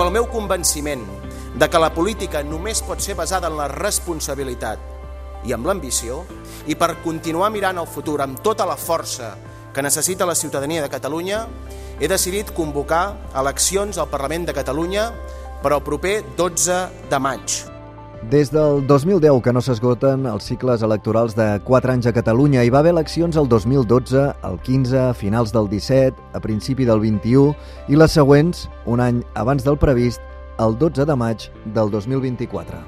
pel meu convenciment de que la política només pot ser basada en la responsabilitat i amb l'ambició, i per continuar mirant el futur amb tota la força que necessita la ciutadania de Catalunya, he decidit convocar eleccions al Parlament de Catalunya per al proper 12 de maig. Des del 2010 que no s'esgoten els cicles electorals de 4 anys a Catalunya. Hi va haver eleccions el 2012, el 15, a finals del 17, a principi del 21 i les següents, un any abans del previst, el 12 de maig del 2024.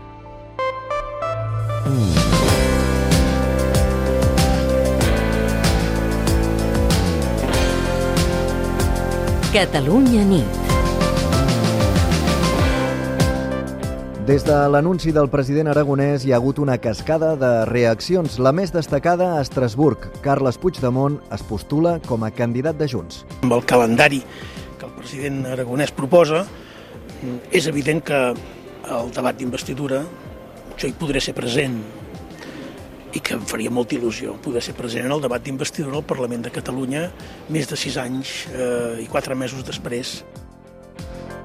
Catalunya nit. Des de l'anunci del president aragonès hi ha hagut una cascada de reaccions. La més destacada a Estrasburg. Carles Puigdemont es postula com a candidat de Junts. Amb el calendari que el president aragonès proposa, és evident que el debat d'investidura jo hi podré ser present i que em faria molta il·lusió poder ser present en el debat d'investidura al Parlament de Catalunya més de 6 anys i 4 mesos després.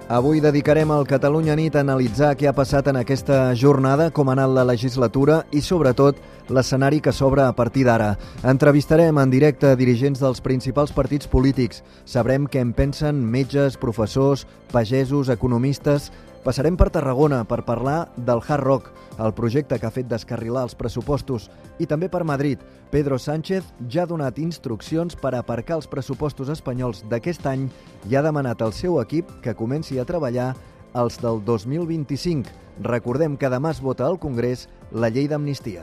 Avui dedicarem al Catalunya Nit a analitzar què ha passat en aquesta jornada, com ha anat la legislatura i, sobretot, l'escenari que s'obre a partir d'ara. Entrevistarem en directe dirigents dels principals partits polítics. Sabrem què en pensen metges, professors, pagesos, economistes. Passarem per Tarragona per parlar del Hard Rock, el projecte que ha fet descarrilar els pressupostos, i també per Madrid. Pedro Sánchez ja ha donat instruccions per aparcar els pressupostos espanyols d'aquest any i ha demanat al seu equip que comenci a treballar els del 2025. Recordem que demà es vota al Congrés la llei d'amnistia.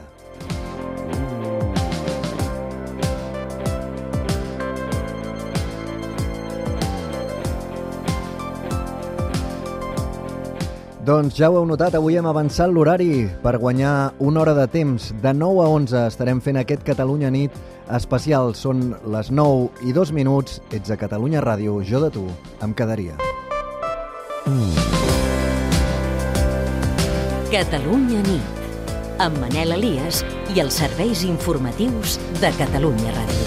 Doncs ja ho heu notat, avui hem avançat l'horari per guanyar una hora de temps. De 9 a 11 estarem fent aquest Catalunya Nit especial. Són les 9 i 2 minuts. Ets a Catalunya Ràdio, jo de tu em quedaria. Catalunya Nit, amb Manel Elias i els serveis informatius de Catalunya Ràdio.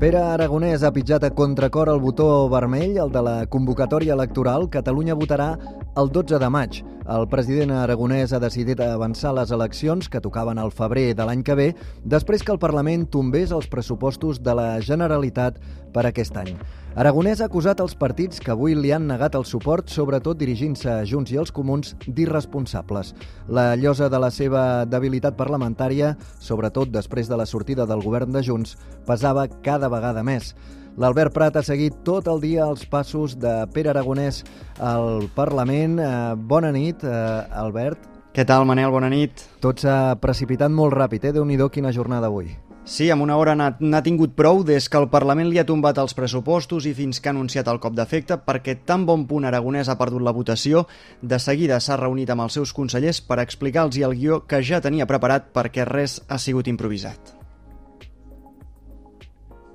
Pere Aragonès ha pitjat a contracor el botó vermell, el de la convocatòria electoral. Catalunya votarà el 12 de maig. El president aragonès ha decidit avançar les eleccions, que tocaven al febrer de l'any que ve, després que el Parlament tombés els pressupostos de la Generalitat per aquest any. Aragonès ha acusat els partits que avui li han negat el suport, sobretot dirigint-se a Junts i els Comuns, d'irresponsables. La llosa de la seva debilitat parlamentària, sobretot després de la sortida del govern de Junts, pesava cada vegada més. L'Albert Prat ha seguit tot el dia els passos de Pere Aragonès al Parlament. Bona nit, Albert. Què tal, Manel? Bona nit. Tot s'ha precipitat molt ràpid, Déu-n'hi-do, quina jornada avui. Sí, amb una hora n'ha tingut prou des que el Parlament li ha tombat els pressupostos i fins que ha anunciat el cop d'efecte, perquè tan bon punt Aragonès ha perdut la votació, de seguida s'ha reunit amb els seus consellers per explicar-los el guió que ja tenia preparat perquè res ha sigut improvisat.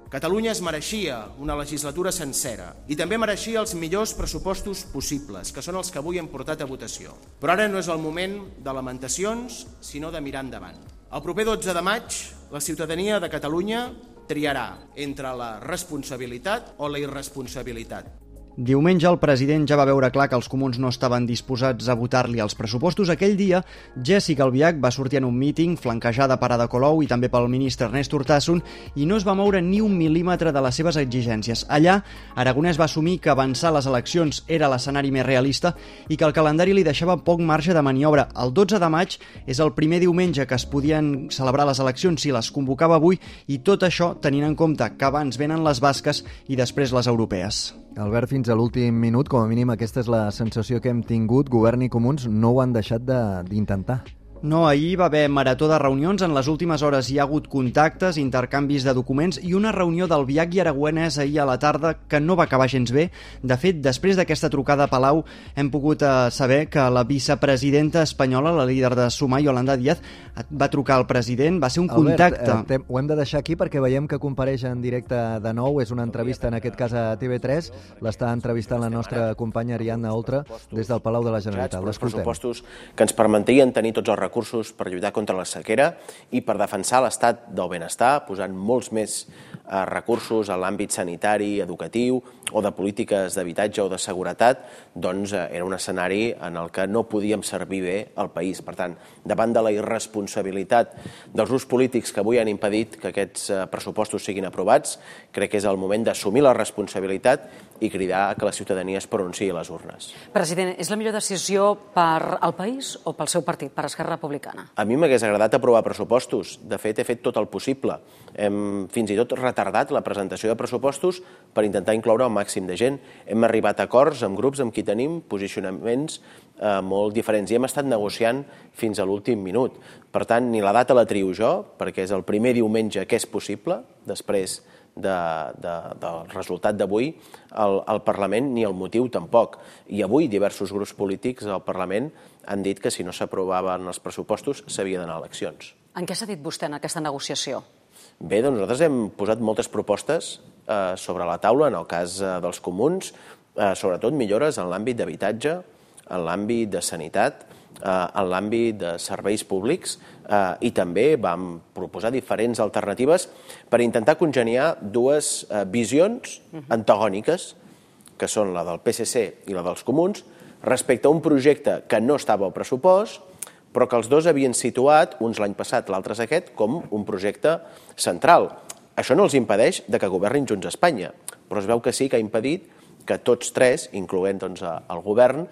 Catalunya es mereixia una legislatura sencera i també mereixia els millors pressupostos possibles, que són els que avui hem portat a votació. Però ara no és el moment de lamentacions, sinó de mirar endavant. El proper 12 de maig, la ciutadania de Catalunya triarà entre la responsabilitat o la irresponsabilitat. Diumenge el president ja va veure clar que els comuns no estaven disposats a votar-li els pressupostos. Aquell dia, Jessica Albiach va sortir en un míting flanquejada per Ada Colau i també pel ministre Ernest Urtasun i no es va moure ni un mil·límetre de les seves exigències. Allà, Aragonès va assumir que avançar les eleccions era l'escenari més realista i que el calendari li deixava poc marge de maniobra. El 12 de maig és el primer diumenge que es podien celebrar les eleccions si les convocava avui i tot això tenint en compte que abans venen les basques i després les europees. Albert, fins a l'últim minut, com a mínim aquesta és la sensació que hem tingut, Govern i Comuns no ho han deixat d'intentar. No, ahir va haver marató de reunions, en les últimes hores hi ha hagut contactes, intercanvis de documents i una reunió del Biac i Aragonès ahir a la tarda que no va acabar gens bé. De fet, després d'aquesta trucada a Palau hem pogut saber que la vicepresidenta espanyola, la líder de Sumar, Yolanda Díaz, va trucar al president, va ser un contacte. Albert, ho hem de deixar aquí perquè veiem que compareix en directe de nou, és una entrevista en aquest cas a TV3, l'està entrevistant la nostra companya Ariadna Oltra des del Palau de la Generalitat. Els pressupostos que ens permetrien tenir tots els recursos per lluitar contra la sequera i per defensar l'estat del benestar, posant molts més recursos a l'àmbit sanitari, educatiu o de polítiques d'habitatge o de seguretat, doncs era un escenari en el que no podíem servir bé al país. Per tant, davant de la irresponsabilitat dels grups polítics que avui han impedit que aquests pressupostos siguin aprovats, crec que és el moment d'assumir la responsabilitat i cridar que la ciutadania es pronunciï a les urnes. President, és la millor decisió per al país o pel seu partit, per Esquerra Republicana? A mi m'hagués agradat aprovar pressupostos. De fet, he fet tot el possible. Hem fins i tot retardat la presentació de pressupostos per intentar incloure el màxim de gent. Hem arribat a acords amb grups amb qui tenim posicionaments molt diferents i hem estat negociant fins a l'últim minut. Per tant, ni la data la trio jo, perquè és el primer diumenge que és possible, després del resultat d'avui al Parlament, ni el motiu tampoc. I avui diversos grups polítics al Parlament han dit que si no s'aprovaven els pressupostos s'havia d'anar a eleccions. En què s'ha dit vostè en aquesta negociació? Bé, doncs nosaltres hem posat moltes propostes sobre la taula, en el cas dels comuns, sobretot millores en l'àmbit d'habitatge, en l'àmbit de sanitat, en l'àmbit de serveis públics i també vam proposar diferents alternatives per intentar congeniar dues visions antagòniques, que són la del PSC i la dels comuns, respecte a un projecte que no estava al pressupost, però que els dos havien situat, uns l'any passat, l'altre aquest, com un projecte central. Això no els impedeix que governin Junts a Espanya, però es veu que sí que ha impedit que tots tres, incloent el govern,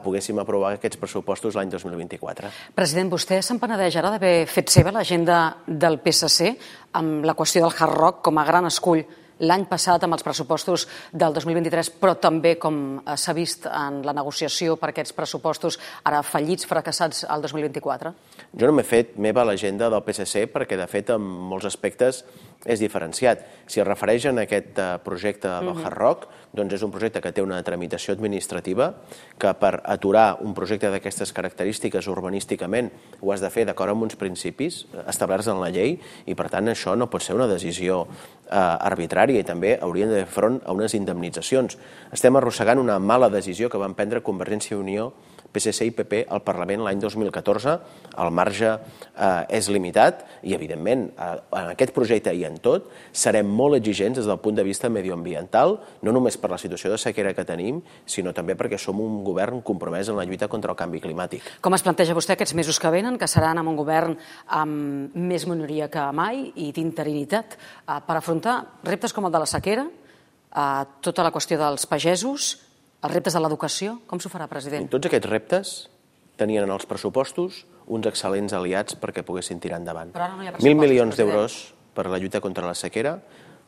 poguéssim aprovar aquests pressupostos l'any 2024. President, vostè se'n penedeix ara d'haver fet seva l'agenda del PSC amb la qüestió del Hard Rock com a gran escull l'any passat amb els pressupostos del 2023, però també, com s'ha vist en la negociació per aquests pressupostos ara fallits, fracassats al 2024? Jo no m'he fet meva l'agenda del PSC perquè, de fet, en molts aspectes és diferenciat. Si es refereix a aquest projecte del Hard Rock, doncs és un projecte que té una tramitació administrativa que per aturar un projecte d'aquestes característiques urbanísticament ho has de fer d'acord amb uns principis establerts en la llei i, per tant, això no pot ser una decisió arbitrària i també haurien de fer front a unes indemnitzacions. Estem arrossegant una mala decisió que van prendre Convergència i Unió, PSC i PP al Parlament l'any 2014. El marge és limitat i, evidentment, en aquest projecte i en tot serem molt exigents des del punt de vista medioambiental, no només per la situació de sequera que tenim, sinó també perquè som un govern compromès en la lluita contra el canvi climàtic. Com es planteja vostè aquests mesos que venen, que seran amb un govern amb més minoria que mai i d'interinitat, per afrontar reptes com el de la sequera, tota la qüestió dels pagesos, els reptes de l'educació? Com s'ho farà, president? Tots aquests reptes tenien en els pressupostos uns excel·lents aliats perquè poguessin tirar endavant. 1.000 milions d'euros per la lluita contra la sequera.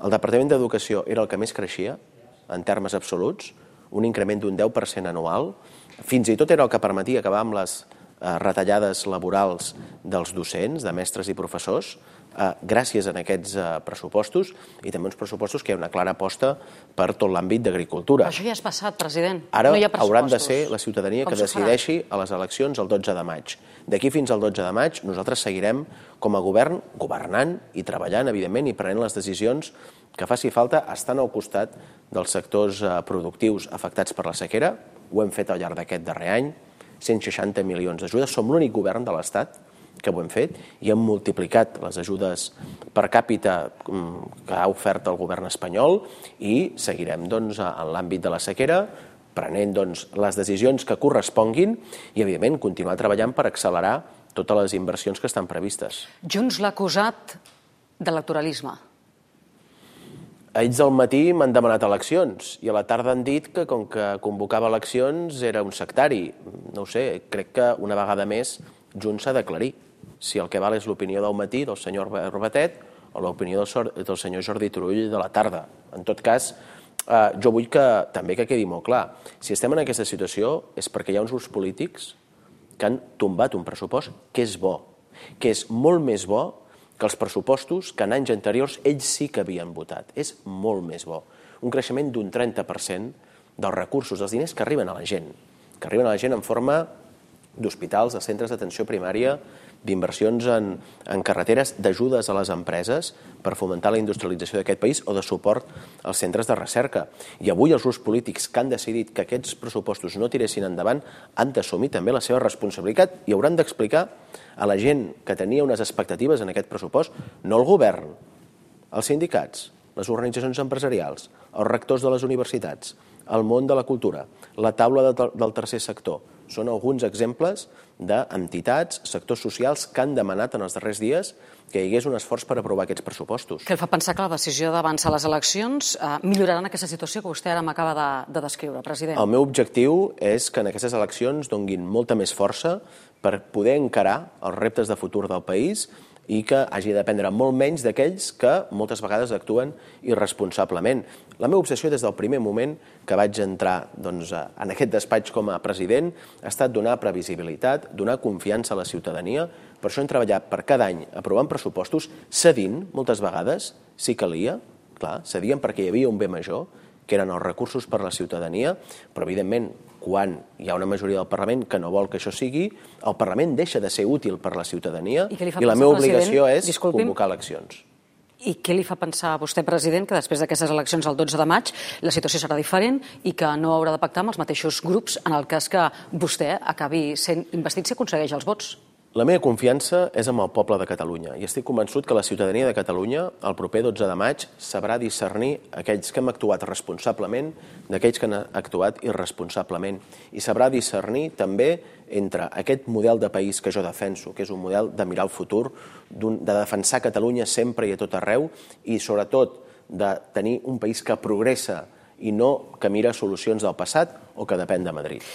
El Departament d'Educació era el que més creixia, en termes absoluts, un increment d'un 10% anual. Fins i tot era el que permetia acabar amb les retallades laborals dels docents, de mestres i professors, gràcies a aquests pressupostos i també uns pressupostos que hi ha una clara aposta per tot l'àmbit d'agricultura. Però això ja és passat, president. Ara hauran de ser la ciutadania que decideixi a les eleccions el 12 de maig. D'aquí fins al 12 de maig nosaltres seguirem com a govern governant i treballant, evidentment, i prenent les decisions que faci falta estant al costat dels sectors productius afectats per la sequera. Ho hem fet al llarg d'aquest darrer any, 160 milions d'ajudes. Som l'únic govern de l'Estat que ho hem fet i hem multiplicat les ajudes per càpita que ha ofert el govern espanyol i seguirem en l'àmbit de la sequera prenent les decisions que corresponguin i, evidentment, continuar treballant per accelerar totes les inversions que estan previstes. Junts l'ha acusat d'electoralisme. Ells al matí m'han demanat eleccions i a la tarda han dit que com que convocava eleccions era un sectari. No ho sé, crec que una vegada més Junts s'ha d'aclarir si el que val és l'opinió del matí del senyor Batet o l'opinió del senyor Jordi Turull de la tarda. En tot cas, jo vull que també quedi molt clar. Si estem en aquesta situació és perquè hi ha uns grups polítics que han tombat un pressupost que és bo, que és molt més bo que els pressupostos que en anys anteriors ells sí que havien votat. És molt més bo. Un creixement d'un 30% dels recursos, dels diners que arriben a la gent, en forma d'hospitals, de centres d'atenció primària, d'inversions en carreteres, d'ajudes a les empreses per fomentar la industrialització d'aquest país o de suport als centres de recerca. I avui els grups polítics que han decidit que aquests pressupostos no tiressin endavant han d'assumir també la seva responsabilitat i hauran d'explicar a la gent que tenia unes expectatives en aquest pressupost, no el govern, els sindicats, les organitzacions empresarials, els rectors de les universitats, el món de la cultura, la taula del tercer sector. Són alguns exemples d'entitats, sectors socials que han demanat en els darrers dies que hi hagués un esforç per aprovar aquests pressupostos. Què el fa pensar que la decisió d'avançar les eleccions milloraran aquesta situació que vostè ara m'acaba de descriure, president? El meu objectiu és que en aquestes eleccions donguin molta més força per poder encarar els reptes de futur del país i que hagi de dependre molt menys d'aquells que moltes vegades actuen irresponsablement. La meva obsessió des del primer moment que vaig entrar en aquest despatx com a president ha estat donar previsibilitat, donar confiança a la ciutadania. Per això hem treballat per cada any aprovant pressupostos, cedint moltes vegades, si calia, clar, cedien perquè hi havia un bé major, que eren els recursos per a la ciutadania, però evidentment quan hi ha una majoria del Parlament que no vol que això sigui, el Parlament deixa de ser útil per a la ciutadania i la meva obligació és convocar eleccions. I què li fa pensar a vostè, president, que després d'aquestes eleccions el 12 de maig la situació serà diferent i que no haurà de pactar amb els mateixos grups en el cas que vostè acabi sent investit si aconsegueix els vots? La meva confiança és amb el poble de Catalunya i estic convençut que la ciutadania de Catalunya el proper 12 de maig sabrà discernir aquells que hem actuat responsablement d'aquells que han actuat irresponsablement i sabrà discernir també entre aquest model de país que jo defenso, que és un model de mirar el futur, de defensar Catalunya sempre i a tot arreu i sobretot de tenir un país que progressa i no que mira solucions del passat o que depèn de Madrid.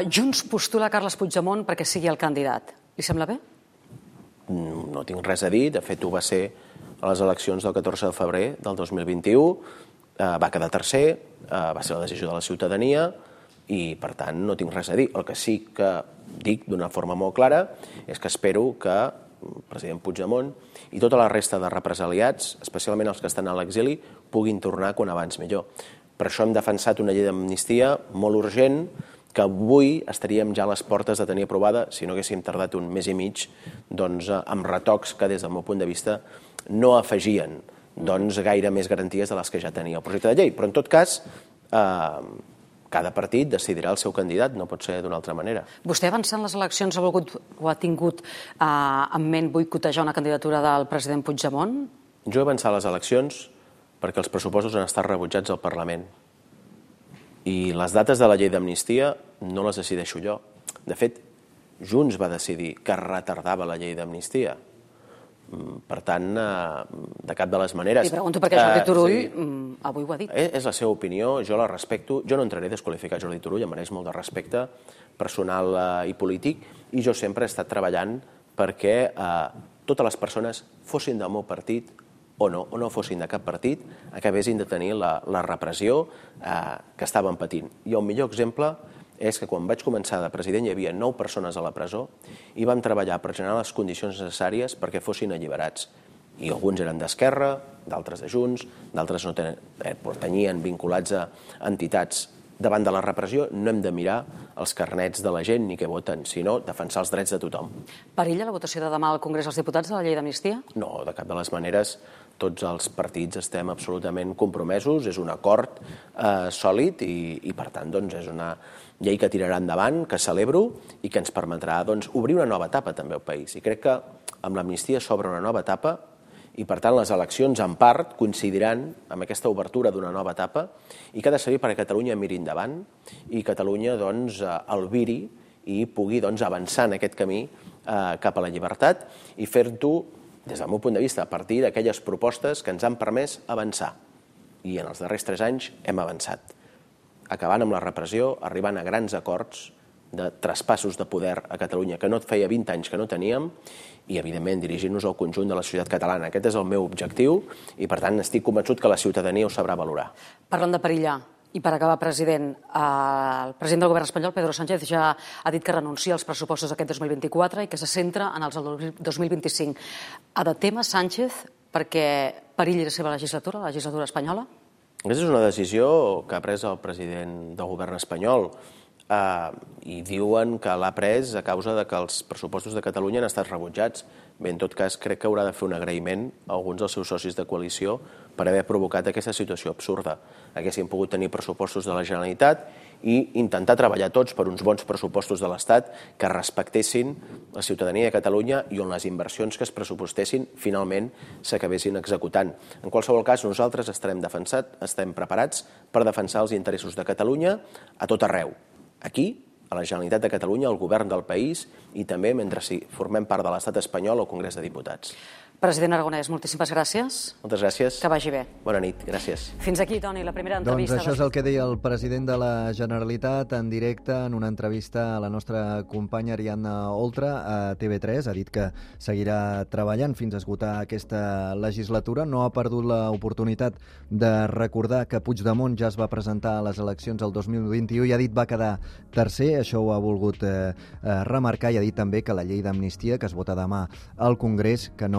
Junts postula Carles Puigdemont perquè sigui el candidat. Li sembla bé? No tinc res a dir. De fet, ho va ser a les eleccions del 14 de febrer del 2021. Va quedar tercer, va ser la decisió de la ciutadania i, per tant, no tinc res a dir. El que sí que dic d'una forma molt clara és que espero que el president Puigdemont i tota la resta de represaliats, especialment els que estan a l'exili, puguin tornar quan abans millor. Per això hem defensat una llei d'amnistia molt urgent que avui estaríem ja a les portes de tenir aprovada si no haguéssim tardat un mes i mig amb retocs que des del meu punt de vista no afegien gaire més garanties de les que ja tenia el projecte de llei. Però en tot cas, cada partit decidirà el seu candidat, no pot ser d'una altra manera. Vostè avançant les eleccions ha tingut en ment boicotejar una candidatura del president Puigdemont? Jo he avançat les eleccions perquè els pressupostos han estat rebutjats al Parlament. I les dates de la llei d'amnistia no les decideixo jo. De fet, Junts va decidir que retardava la llei d'amnistia. Per tant, de cap de les maneres... Li pregunto perquè Jordi Turull avui ho ha dit. És la seva opinió, jo la respecto. Jo no entraré a desqualificar Jordi Turull, em mereix molt de respecte personal i polític, i jo sempre he estat treballant perquè totes les persones fossin del meu partit o no fossin de cap partit, acabessin de tenir la repressió que estaven patint. I el millor exemple és que quan vaig començar de president hi havia 9 persones a la presó i vam treballar per generar les condicions necessàries perquè fossin alliberats. I alguns eren d'Esquerra, d'altres de Junts, d'altres no pertanyien vinculats a entitats. Davant de la repressió no hem de mirar els carnets de la gent ni què voten, sinó defensar els drets de tothom. Perilla la votació de demà al Congrés dels Diputats de la llei d'amnistia? No, de cap de les maneres. Tots els partits estem absolutament compromesos, és un acord sòlid i per tant, és una llei que tirarà endavant, que celebro i que ens permetrà obrir una nova etapa també al país. I crec que amb l'amnistia s'obre una nova etapa i, per tant, les eleccions, en part, coincidiran amb aquesta obertura d'una nova etapa i que ha de servir perquè Catalunya miri endavant i Catalunya albiri i pugui avançar en aquest camí cap a la llibertat i fer-ho, des del meu punt de vista, a partir d'aquelles propostes que ens han permès avançar. I en els darrers 3 anys hem avançat, acabant amb la repressió, arribant a grans acords de traspassos de poder a Catalunya que no feia 20 anys que no teníem i, evidentment, dirigint-nos al conjunt de la societat catalana. Aquest és el meu objectiu i, per tant, estic convençut que la ciutadania ho sabrà valorar. Parlant de perillar, I per acabar, president, el president del govern espanyol, Pedro Sánchez, ja ha dit que renuncia als pressupostos d'aquest 2024 i que se centra en els del 2025. Ha de témer Sánchez perquè perilli la seva legislatura, la legislatura espanyola? Aquesta és una decisió que ha pres el president del govern espanyol i diuen que l'ha pres a causa de que els pressupostos de Catalunya han estat rebutjats. Bé, en tot cas, crec que haurà de fer un agraïment a alguns dels seus socis de coalició per haver provocat aquesta situació absurda. Haguessin pogut tenir pressupostos de la Generalitat i intentar treballar tots per uns bons pressupostos de l'Estat que respectessin la ciutadania de Catalunya i on les inversions que es pressupostessin finalment s'acabessin executant. En qualsevol cas, nosaltres estem preparats per defensar els interessos de Catalunya a tot arreu. Aquí, a la Generalitat de Catalunya, al govern del país i també mentre formem part de l'Estat espanyol al Congrés de Diputats. President Aragonès, moltíssimes gràcies. Moltes gràcies. Que vagi bé. Bona nit, gràcies. Fins aquí, Toni, la primera entrevista. Doncs això és el que deia el president de la Generalitat en directe en una entrevista a la nostra companya Ariadna Oltra a TV3. Ha dit que seguirà treballant fins a esgotar aquesta legislatura. No ha perdut l'oportunitat de recordar que Puigdemont ja es va presentar a les eleccions el 2021 i ha dit va quedar tercer. Això ho ha volgut remarcar i ha dit també que la llei d'amnistia que es vota demà al Congrés que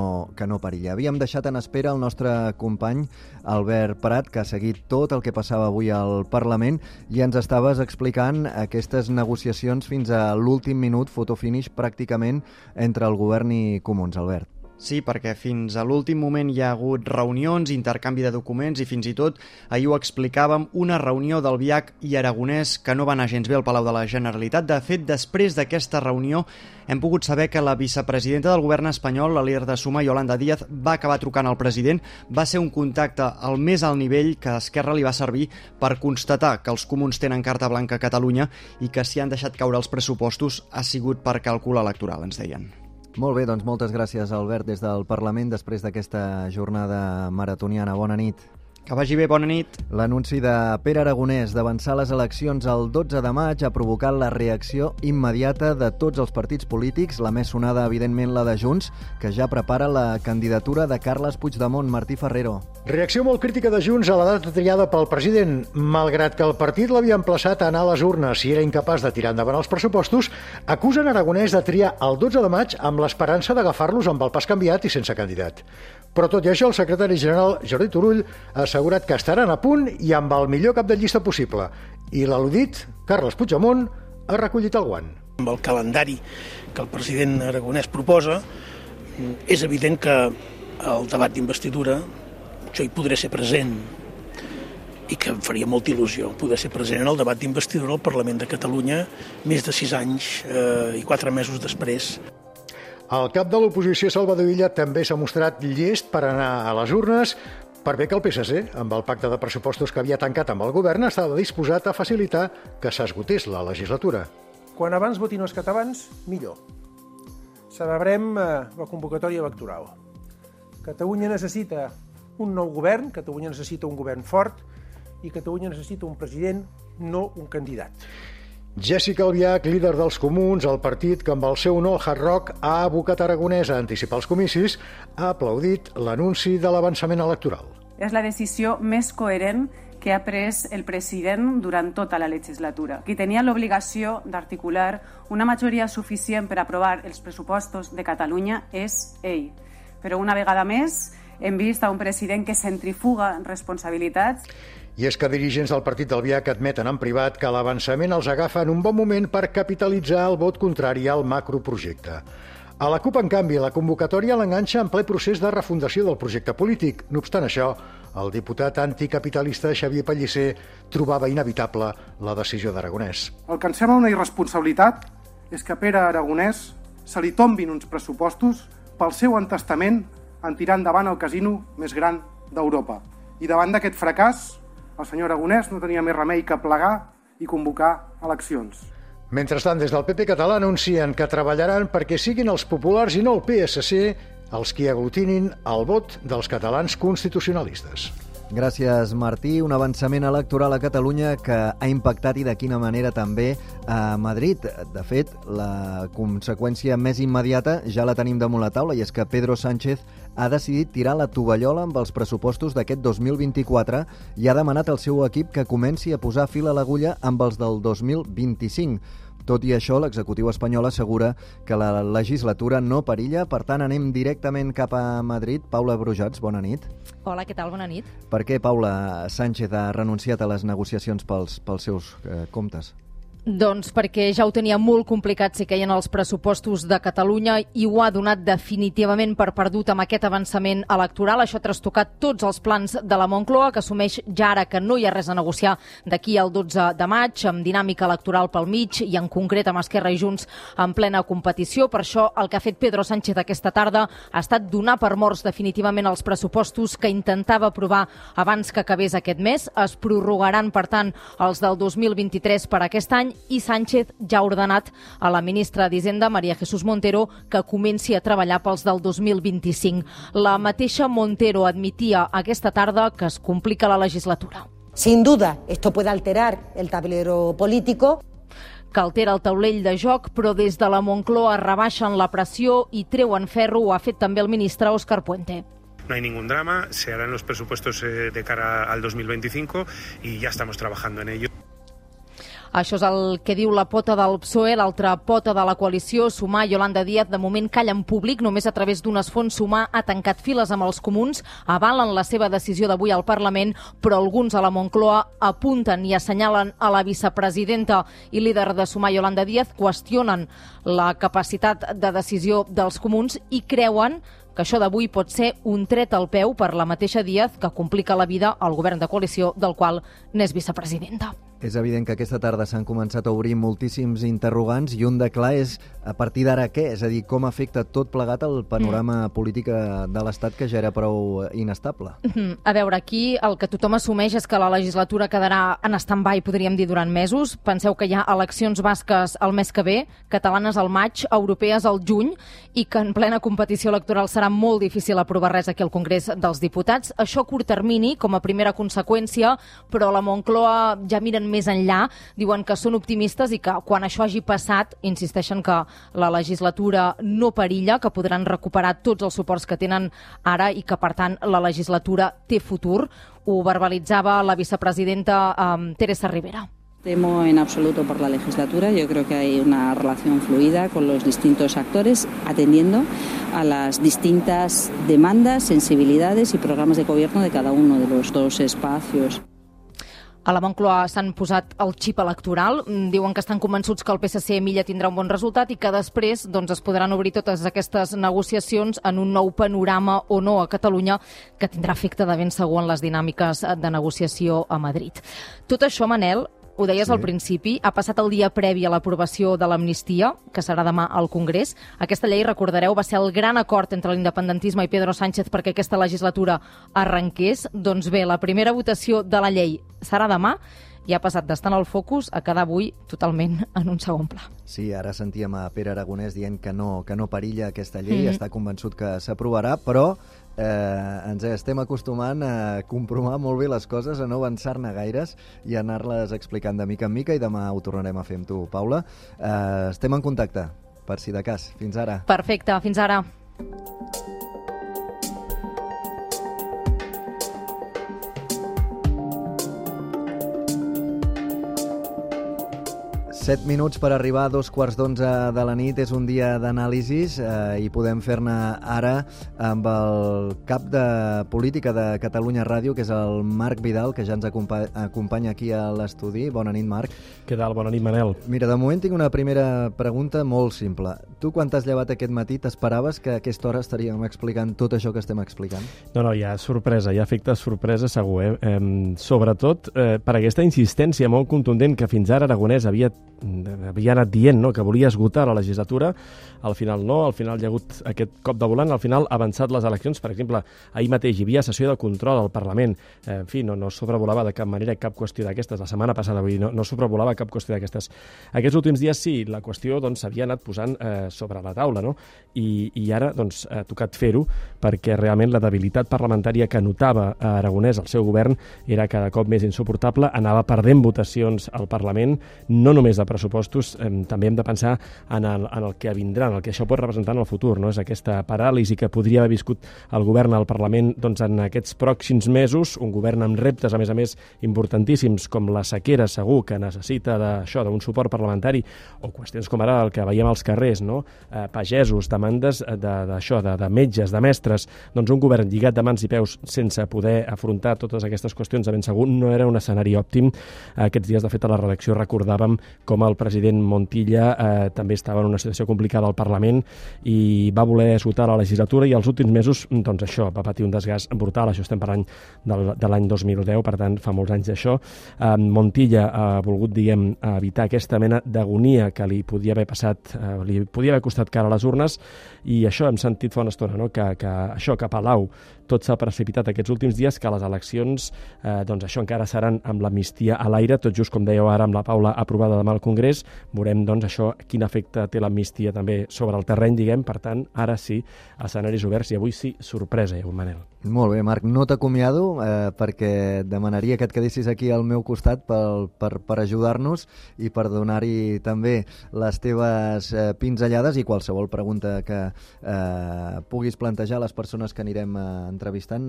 no perilla. Havíem deixat en espera el nostre company Albert Prat, que ha seguit tot el que passava avui al Parlament i ens estaves explicant aquestes negociacions fins a l'últim minut, fotofinish pràcticament, entre el govern i Comuns. Albert. Sí, perquè fins a l'últim moment hi ha hagut reunions, intercanvi de documents i fins i tot, ahir ho explicàvem, una reunió d'Albiach i Aragonès que no va anar gens bé al Palau de la Generalitat. De fet, després d'aquesta reunió hem pogut saber que la vicepresidenta del govern espanyol, la líder de Suma, Yolanda Díaz, va acabar trucant al president. Va ser un contacte al més alt nivell que a Esquerra li va servir per constatar que els comuns tenen carta blanca a Catalunya i que si han deixat caure els pressupostos ha sigut per càlcul electoral, ens deien. Molt bé, doncs moltes gràcies, Albert, des del Parlament, després d'aquesta jornada maratoniana. Bona nit. Que vagi bé, bona nit. L'anunci de Pere Aragonès d'avançar les eleccions el 12 de maig ha provocat la reacció immediata de tots els partits polítics, la més sonada, evidentment, la de Junts, que ja prepara la candidatura de Carles Puigdemont. Martí Ferrero. Reacció molt crítica de Junts a la data triada pel president. Malgrat que el partit l'havia emplaçat a anar a les urnes i era incapaç de tirar endavant els pressupostos, acusen Aragonès de triar el 12 de maig amb l'esperança d'agafar-los amb el pas canviat i sense candidat. Però tot i això, el secretari general Jordi Turull ha assegurat que estaran a punt i amb el millor cap de llista possible. I l'al·ludit, Carles Puigdemont, ha recollit el guant. Amb el calendari que el president Aragonès proposa, és evident que el debat d'investidura jo hi podré ser present i que em faria molta il·lusió poder ser present en el debat d'investidura al Parlament de Catalunya més de 6 anys i 4 mesos després. El cap de l'oposició, Salvador Illa, també s'ha mostrat llest per anar a les urnes, per bé que el PSC, amb el pacte de pressupostos que havia tancat amb el govern, estava disposat a facilitar que s'esgotés la legislatura. Quan abans votin els catalans, millor. Celebrem la convocatòria electoral. Catalunya necessita un nou govern, Catalunya necessita un govern fort i Catalunya necessita un president, no un candidat. Jessica Albiach, líder dels Comuns, el partit que amb el seu no al Hard Rock ha abocat Aragonès a anticipar els comicis, ha aplaudit l'anunci de l'avançament electoral. És la decisió més coherent que ha pres el president durant tota la legislatura, qui tenia l'obligació d'articular una majoria suficient per aprovar els pressupostos de Catalunya és ell. Però una vegada més hem vist a un president que centrifuga responsabilitats. I és que dirigents del partit d'Albiach admeten en privat que l'avançament els agafa en un bon moment per capitalitzar el vot contrari al macroprojecte. A la CUP, en canvi, la convocatòria l'enganxa en ple procés de refundació del projecte polític. No obstant això, el diputat anticapitalista Xavier Pellicer trobava inevitable la decisió d'Aragonès. El que ens sembla una irresponsabilitat és que a Pere Aragonès se li tombin uns pressupostos pel seu entestament en tirar endavant el casino més gran d'Europa. I davant d'aquest fracàs, el senyor Aragonès no tenia més remei que plegar i convocar eleccions. Mentrestant, des del PP català anuncien que treballaran perquè siguin els populars i no el PSC els qui aglutinin el vot dels catalans constitucionalistes. Gràcies, Martí. Un avançament electoral a Catalunya que ha impactat i de quina manera també a Madrid. De fet, la conseqüència més immediata ja la tenim damunt la taula i és que Pedro Sánchez ha decidit tirar la tovallola amb els pressupostos d'aquest 2024 i ha demanat al seu equip que comenci a posar fil a l'agulla amb els del 2025. Tot i això, l'executiu espanyol assegura que la legislatura no perilla. Per tant, anem directament cap a Madrid. Paula Brujats, bona nit. Hola, què tal? Bona nit. Per què Paula Sánchez ha renunciat a les negociacions pels seus comptes? Doncs perquè ja ho tenia molt complicat si queien els pressupostos de Catalunya i ho ha donat definitivament per perdut amb aquest avançament electoral. Això ha trastocat tots els plans de la Moncloa, que assumeix ja ara que no hi ha res a negociar d'aquí al 12 de maig, amb dinàmica electoral pel mig i en concret amb Esquerra i Junts en plena competició. Per això el que ha fet Pedro Sánchez aquesta tarda ha estat donar per morts definitivament els pressupostos que intentava aprovar abans que acabés aquest mes. Es prorrogaran, per tant, els del 2023 per aquest any i Sánchez ja ha ordenat a la ministra d'Hisenda, María Jesús Montero, que comenci a treballar pels del 2025. La mateixa Montero admetia aquesta tarda que es complica la legislatura. Sin duda, esto puede alterar el tablero político. Que altera el taulell de joc, però des de la Moncloa rebaixen la pressió i treuen ferro. Ho ha fet també el ministre Óscar Puente. No hay ningún drama, se harán los presupuestos de cara al 2025 y ya estamos trabajando en ello. Això és el que diu la pota del PSOE, l'altra pota de la coalició, Sumar. Yolanda Díaz, de moment calla en públic, només a través d'un esfons. Sumar ha tancat files amb els comuns, avalen la seva decisió d'avui al Parlament, però alguns a la Moncloa apunten i assenyalen a la vicepresidenta i líder de Sumar, Yolanda Díaz, qüestionen la capacitat de decisió dels comuns i creuen que això d'avui pot ser un tret al peu per la mateixa Díaz, que complica la vida al govern de coalició del qual n'és vicepresidenta. És evident que aquesta tarda s'han començat a obrir moltíssims interrogants i un de clar és a partir d'ara què? És a dir, com afecta tot plegat el panorama polític de l'Estat que ja era prou inestable? A veure, aquí el que tothom assumeix és que la legislatura quedarà en stand-by, podríem dir, durant mesos. Penseu que hi ha eleccions basques el mes que ve, catalanes al maig, europees al juny, i que en plena competició electoral serà molt difícil aprovar res aquí al Congrés dels Diputats. Això a curt termini, com a primera conseqüència, però la Moncloa ja miren més enllà, diuen que són optimistes i que quan això hagi passat, insisteixen que la legislatura no perilla, que podran recuperar tots els suports que tenen ara i que, per tant, la legislatura té futur. Ho verbalitzava la vicepresidenta Teresa Rivera. Temo en absoluto por la legislatura. Yo creo que hay una relación fluida con los distintos actores, atendiendo a las distintas demandas, sensibilidades y programas de gobierno de cada uno de los dos espacios. A la Moncloa s'han posat el xip electoral, diuen que estan convençuts que el PSC a Milla tindrà un bon resultat i que després es podran obrir totes aquestes negociacions en un nou panorama o no a Catalunya que tindrà efecte de ben segur en les dinàmiques de negociació a Madrid. Tot això, Manel, ho deies al principi, ha passat el dia previ a l'aprovació de l'amnistia, que serà demà al Congrés. Aquesta llei, recordareu, va ser el gran acord entre l'independentisme i Pedro Sánchez perquè aquesta legislatura arrenqués. Doncs bé, la primera votació de la llei serà demà i ha passat d'estar en el focus a quedar avui totalment en un segon pla. Sí, ara sentíem a Pere Aragonès dient que no perilla aquesta llei, està convençut que s'aprovarà, però ens estem acostumant a comprovar molt bé les coses, a no avançar-ne gaires i a anar-les explicant de mica en mica, i demà ho tornarem a fer amb tu, Paula. Estem en contacte, per si de cas. Fins ara. Perfecte, fins ara. Set minuts per arribar a 11:15 de la nit. És un dia d'anàlisis i podem fer-ne ara amb el cap de política de Catalunya Ràdio, que és el Marc Vidal, que ja ens acompanya aquí a l'estudi. Bona nit, Marc. Què tal? Bona nit, Manel. Mira, de moment tinc una primera pregunta molt simple. Tu, quan t'has llevat aquest matí, t'esperaves que a aquesta hora estaríem explicant tot això que estem explicant? No, hi ha sorpresa, hi ha efecte sorpresa segur, Sobretot per aquesta insistència molt contundent que fins ara Aragonès havia havia anat dient, no?, que volia esgotar la legislatura, al final no, al final hi ha hagut aquest cop de volant, al final ha avançat les eleccions. Per exemple, ahir mateix hi havia sessió de control al Parlament, en fi, no sobrevolava de cap manera cap qüestió d'aquestes, la setmana passada, vull dir, no sobrevolava cap qüestió d'aquestes. Aquests últims dies sí, la qüestió doncs s'havia anat posant sobre la taula, no?, i ara doncs ha tocat fer-ho, perquè realment la debilitat parlamentària que notava a Aragonès el seu govern era cada cop més insuportable, anava perdent votacions al Parlament, no només de pressupostos, també hem de pensar en el que vindrà, en el que això pot representar en el futur, no? És aquesta paràlisi que podria haver viscut el govern al Parlament doncs, en aquests pròxims mesos, un govern amb reptes, a més, importantíssims, com la sequera, segur que necessita d'això, d'un suport parlamentari, o qüestions com ara el que veiem als carrers, no? Pagesos, demandes d'això, de metges, de mestres, doncs un govern lligat de mans i peus sense poder afrontar totes aquestes qüestions, de ben segur no era un escenari òptim. Aquests dies, de fet, a la redacció recordàvem com el president Montilla també estava en una situació complicada al Parlament i va voler esgotar la legislatura, i els últims mesos, doncs això, va patir un desgast brutal. Això estem parlant de l'any 2010, per tant, fa molts anys d'això. Montilla ha volgut, evitar aquesta mena d'agonia que li podia haver passat, li podia haver costat cara a les urnes, i això hem sentit fa una estona, no?, que això, que a Palau tot s'ha precipitat aquests últims dies, que les eleccions, doncs això encara seran amb l'amnistia a l'aire, tot just com dèieu ara amb la Paula aprovada demà al Congrés. Veurem, doncs, això, quin efecte té l'amnistia també sobre el terreny, per tant, ara sí, escenaris oberts, i avui sí, sorpresa, Manel. Molt bé, Marc, no t'acomiado perquè demanaria que et quedessis aquí al meu costat per ajudar-nos i per donar-hi també les teves pinzellades i qualsevol pregunta que puguis plantejar a les persones que anirem entrevistant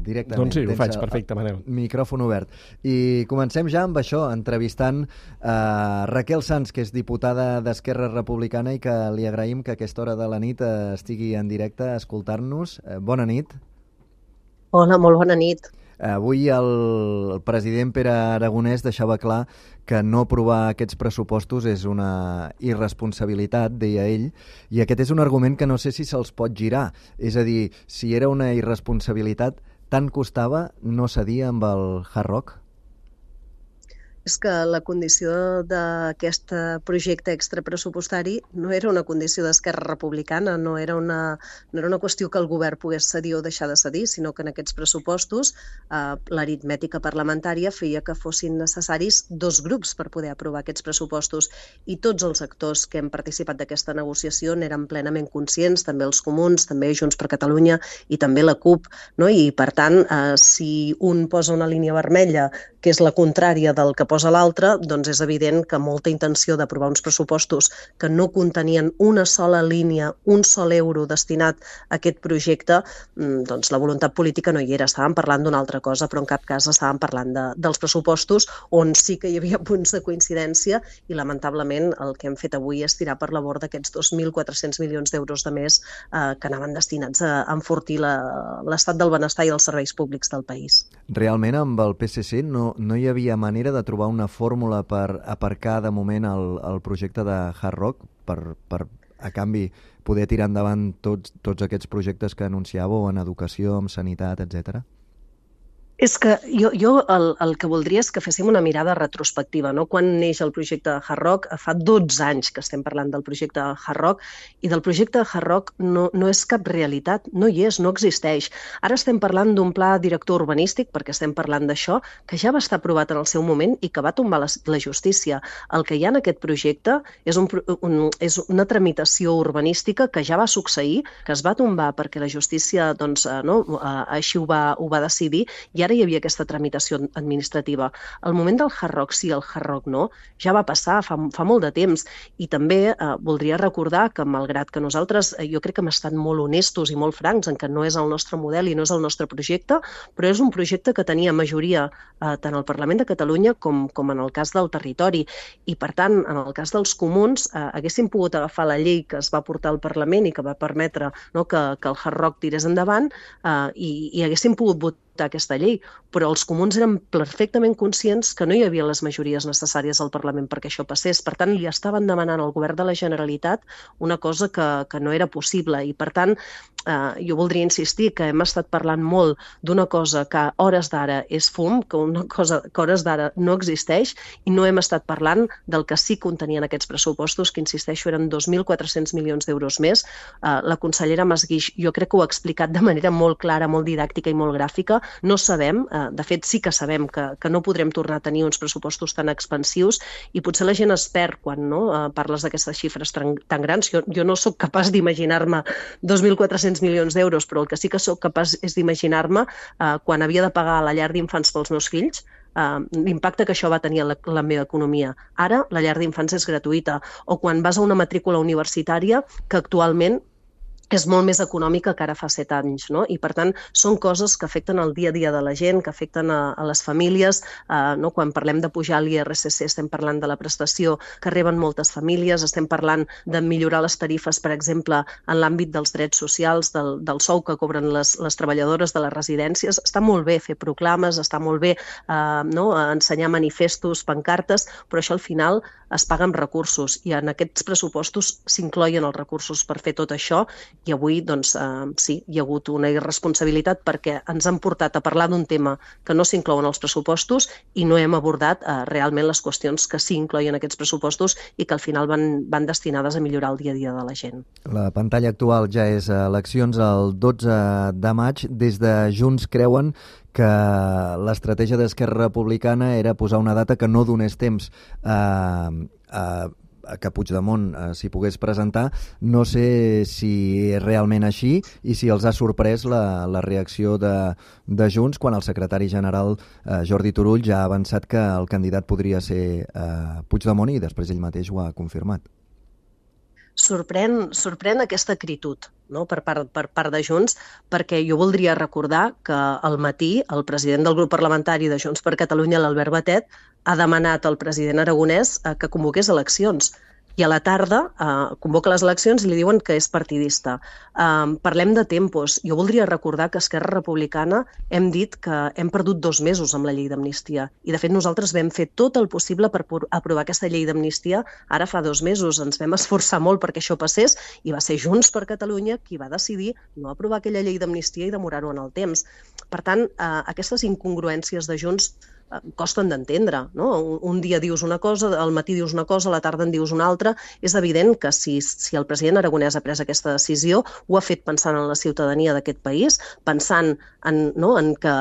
directament. Doncs sí, ho faig, perfecte, Manel. Micròfon obert. I comencem ja amb això, entrevistant Raquel Sans, que és diputada d'Esquerra Republicana i que li agraïm que a aquesta hora de la nit estigui en directe a escoltar-nos. Bona nit. Hola, molt bona nit. Avui el president Pere Aragonès deixava clar que no aprovar aquests pressupostos és una irresponsabilitat, deia ell, i aquest és un argument que no sé si se'ls pot girar. És a dir, si era una irresponsabilitat, tant costava no cedir amb el Hard Rock? És que la condició d'aquest projecte extrapressupostari no era una condició d'Esquerra Republicana, no era una qüestió que el govern pogués cedir o deixar de cedir, sinó que en aquests pressupostos l'aritmètica parlamentària feia que fossin necessaris 2 grups per poder aprovar aquests pressupostos, i tots els actors que hem participat d'aquesta negociació n'eren plenament conscients, també els comuns, també Junts per Catalunya i també la CUP, no? I per tant, si un posa una línia vermella que és la contrària del que posa l'altre, doncs és evident que molta intenció d'aprovar uns pressupostos que no contenien una sola línia, un sol euro destinat a aquest projecte, doncs la voluntat política no hi era. Estàvem parlant d'una altra cosa, però en cap cas estàvem parlant dels pressupostos, on sí que hi havia punts de coincidència, i lamentablement el que hem fet avui és tirar per la borda aquests 2.400 milions d'euros de més que anaven destinats a enfortir l'estat del benestar i els serveis públics del país. Realment amb el PSC no hi havia manera de trobar una fórmula per aparcar de moment el projecte de Hard Rock per a canvi poder tirar endavant tots aquests projectes que anunciàveu en educació, en sanitat, etcètera? És que jo el que voldria és que féssim una mirada retrospectiva, no? Quan neix el projecte de Hard Rock, fa 12 anys que estem parlant del projecte de Hard Rock, i del projecte de Hard Rock no és cap realitat, no hi és, no existeix. Ara estem parlant d'un pla director urbanístic, perquè estem parlant d'això, que ja va estar aprovat en el seu moment i que va tombar la justícia. El que hi ha en aquest projecte és una tramitació urbanística que ja va succeir, que es va tombar perquè la justícia així ho va decidir, i ara hi havia aquesta tramitació administrativa. El moment del Hard Rock sí, el Hard Rock no, ja va passar fa molt de temps. I també voldria recordar que, malgrat que nosaltres, jo crec que hem estat molt honestos i molt francs en que no és el nostre model i no és el nostre projecte, però és un projecte que tenia majoria tant al Parlament de Catalunya com en el cas del territori. I, per tant, en el cas dels comuns, haguéssim pogut agafar la llei que es va portar al Parlament i que va permetre que el Hard Rock tirés endavant i haguéssim pogut votar aquesta llei, però els comuns eren perfectament conscients que no hi havia les majories necessàries al Parlament perquè això passés. Per tant, li estaven demanant al govern de la Generalitat una cosa que no era possible, i per tant jo voldria insistir que hem estat parlant molt d'una cosa que a hores d'ara és fum, que una cosa que a hores d'ara no existeix, i no hem estat parlant del que sí contenien aquests pressupostos, que insisteixo eren 2.400 milions d'euros més. La consellera Masguix jo crec que ho ha explicat de manera molt clara, molt didàctica i molt gràfica. No sabem, de fet sí que sabem que no podrem tornar a tenir uns pressupostos tan expansius, i potser la gent es perd quan parles d'aquestes xifres tan grans. Jo no sóc capaç d'imaginar-me 2.400 milions d'euros, però el que sí que sóc capaç és d'imaginar-me quan havia de pagar a la llar d'infants pels meus fills, l'impacte que això va tenir a la meva economia. Ara la llar d'infants és gratuïta, o quan vas a una matrícula universitària que actualment és molt més econòmica que ara fa 7 anys, no? I per tant són coses que afecten el dia a dia de la gent, que afecten a les famílies, no? Quan parlem de pujar l'IRSC estem parlant de la prestació que reben moltes famílies, estem parlant de millorar les tarifes, per exemple, en l'àmbit dels drets socials, del sou que cobren les treballadores de les residències. Està molt bé fer proclames, està molt bé ensenyar manifestos, pancartes, però això al final es paga amb recursos, i en aquests pressupostos s'incloïen els recursos per fer tot això. I avui, doncs, sí, hi ha hagut una irresponsabilitat perquè ens han portat a parlar d'un tema que no s'inclouen als pressupostos i no hem abordat realment les qüestions que sí incloïen aquests pressupostos i que al final van destinades a millorar el dia a dia de la gent. La pantalla actual ja és eleccions el 12 de maig. Des de Junts creuen que l'estratègia d'Esquerra Republicana era posar una data que no donés temps que Puigdemont s'hi pogués presentar. No sé si és realment així i si els ha sorprès la reacció de Junts quan el secretari general Jordi Turull ja ha avançat que el candidat podria ser Puigdemont, i després ell mateix ho ha confirmat. Sorprèn aquesta acritud, no? per part de Junts, perquè jo voldria recordar que al matí el president del grup parlamentari de Junts per Catalunya, l'Albert Batet, ha demanat al president aragonès que convoqués eleccions. I a la tarda convoca les eleccions i li diuen que és partidista. Parlem de tempos. Jo voldria recordar que Esquerra Republicana hem dit que hem perdut 2 mesos amb la llei d'amnistia. I de fet nosaltres vam fer tot el possible per aprovar aquesta llei d'amnistia ara fa 2 mesos. Ens vam esforçar molt perquè això passés i va ser Junts per Catalunya qui va decidir no aprovar aquella llei d'amnistia i demorar-ho en el temps. Per tant, aquestes incongruències de Junts costen d'entendre, no? Un dia dius una cosa, al matí dius una cosa, a la tarda en dius una altra. És evident que si el president aragonès ha pres aquesta decisió, ho ha fet pensant en la ciutadania d'aquest país, pensant en que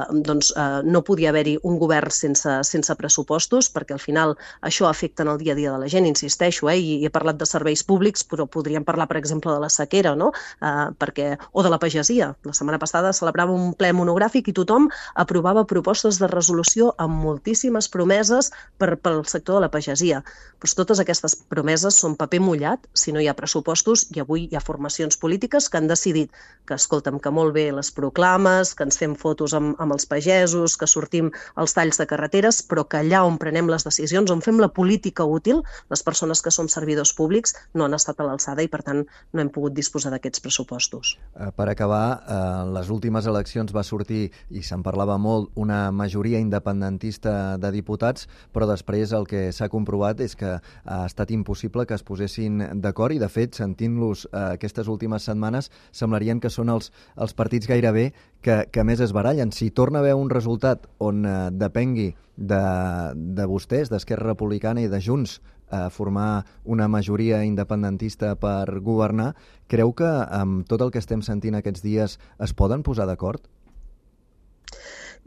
no podia haver-hi un govern sense pressupostos, perquè al final això afecta en el dia a dia de la gent, insisteixo, i he parlat de serveis públics, però podríem parlar, per exemple, de la sequera, no? O de la pagesia. La setmana passada celebrava un ple monogràfic i tothom aprovava propostes de resolució amb moltíssimes promeses pel sector de la pagesia. Però totes aquestes promeses són paper mullat si no hi ha pressupostos, i avui hi ha formacions polítiques que han decidit que, escolta'm, que molt bé les proclames, que ens fem fotos amb els pagesos, que sortim als talls de carreteres, però que allà on prenem les decisions, on fem la política útil, les persones que som servidors públics no han estat a l'alçada i, per tant, no hem pogut disposar d'aquests pressupostos. Per acabar, en les últimes eleccions va sortir, i se'n parlava molt, una majoria independentista de diputats, però després el que s'ha comprovat és que ha estat impossible que es posessin d'acord, i de fet, sentint-los aquestes últimes setmanes, semblarien que són els partits gairebé que més es barallen. Si torna a haver un resultat on depengui de vostès, d'Esquerra Republicana i de Junts, formar una majoria independentista per governar, creu que amb tot el que estem sentint aquests dies es poden posar d'acord?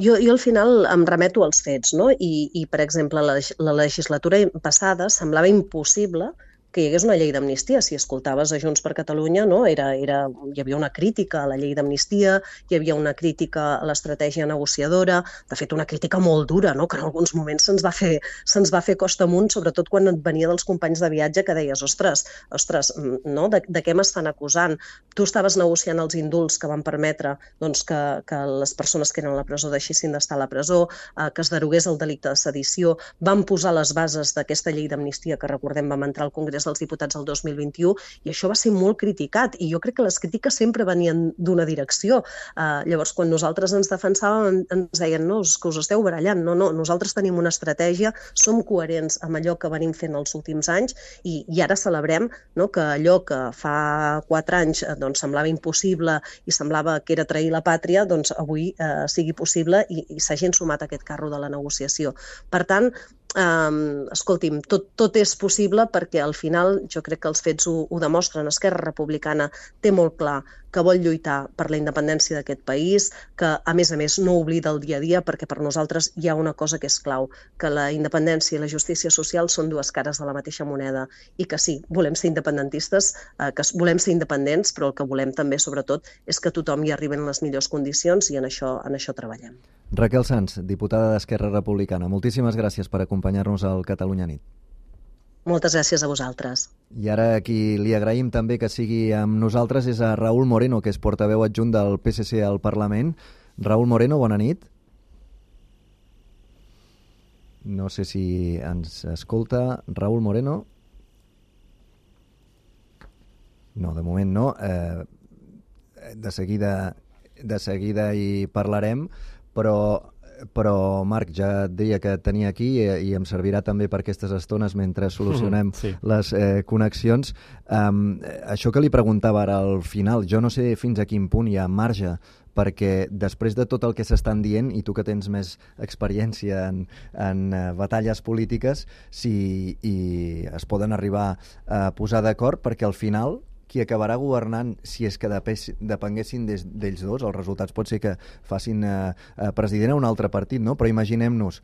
Jo al final em remeto als fets, no? I per exemple, la legislatura passada semblava impossible que hi hagués una llei d'amnistia. Si escoltaves a Junts per Catalunya, no? Hi havia una crítica a la llei d'amnistia, hi havia una crítica a l'estratègia negociadora, de fet una crítica molt dura, no? Que en alguns moments se'ns va fer costa amunt, sobretot quan et venia dels companys de viatge que deies, ostres, no? De què m'estan acusant? Tu estaves negociant els indults que van permetre que les persones que eren a la presó deixessin d'estar a la presó, que es derogués el delicte de sedició, van posar les bases d'aquesta llei d'amnistia que, recordem, vam entrar al Congrés Congrés dels Diputats el 2021 i això va ser molt criticat i jo crec que les crítiques sempre venien d'una direcció. Llavors, quan nosaltres ens defensàvem, ens deien no, és que us esteu barallant. No, nosaltres tenim una estratègia, som coherents amb allò que venim fent els últims anys i ara celebrem, no, que allò que fa 4 anys doncs, semblava impossible i semblava que era trair la pàtria, doncs avui sigui possible i s'hagin sumat a aquest carro de la negociació. Per tant, escolti'm, tot és possible perquè al final jo crec que els fets ho demostren. Esquerra Republicana té molt clar que vol lluitar per la independència d'aquest país, que a més no oblida el dia a dia perquè per nosaltres hi ha una cosa que és clau, que la independència i la justícia social són dues cares de la mateixa moneda i que sí, volem ser independentistes, que volem ser independents, però el que volem també sobretot és que tothom hi arribi en les millors condicions i en això treballem. Raquel Sans, diputada d'Esquerra Republicana, moltíssimes gràcies per acompanyar-nos al Catalunya Nit. Moltes gràcies a vosaltres. I ara qui li agraïm també que sigui amb nosaltres és a Raúl Moreno, que és portaveu adjunt del PSC al Parlament. Raúl Moreno, bona nit. No sé si ens escolta. Raúl Moreno? No, de moment no. De seguida hi parlarem, però Marc, ja et deia que et tenia aquí i em servirà també per aquestes estones mentre solucionem les connexions. Això que li preguntava ara al final, jo no sé fins a quin punt hi ha marge, perquè després de tot el que s'estan dient, i tu que tens més experiència en batalles polítiques, si es poden arribar a posar d'acord, perquè al final qui acabarà governant, si és que depenguessin d'ells dos, els resultats pot ser que facin president a un altre partit, no? Però imaginem-nos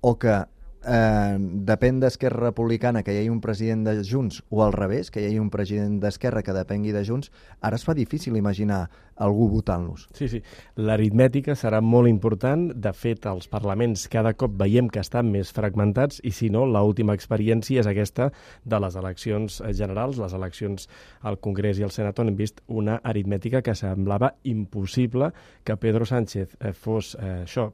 o que depèn d'Esquerra Republicana que hi hagi un president de Junts o al revés, que hi hagi un president d'Esquerra que depengui de Junts, ara es fa difícil imaginar algú votant-los. Sí. L'aritmètica serà molt important. De fet, els parlaments cada cop veiem que estan més fragmentats i, si no, l'última experiència és aquesta de les eleccions generals, les eleccions al Congrés i al Senat, on hem vist una aritmètica que semblava impossible que Pedro Sánchez fos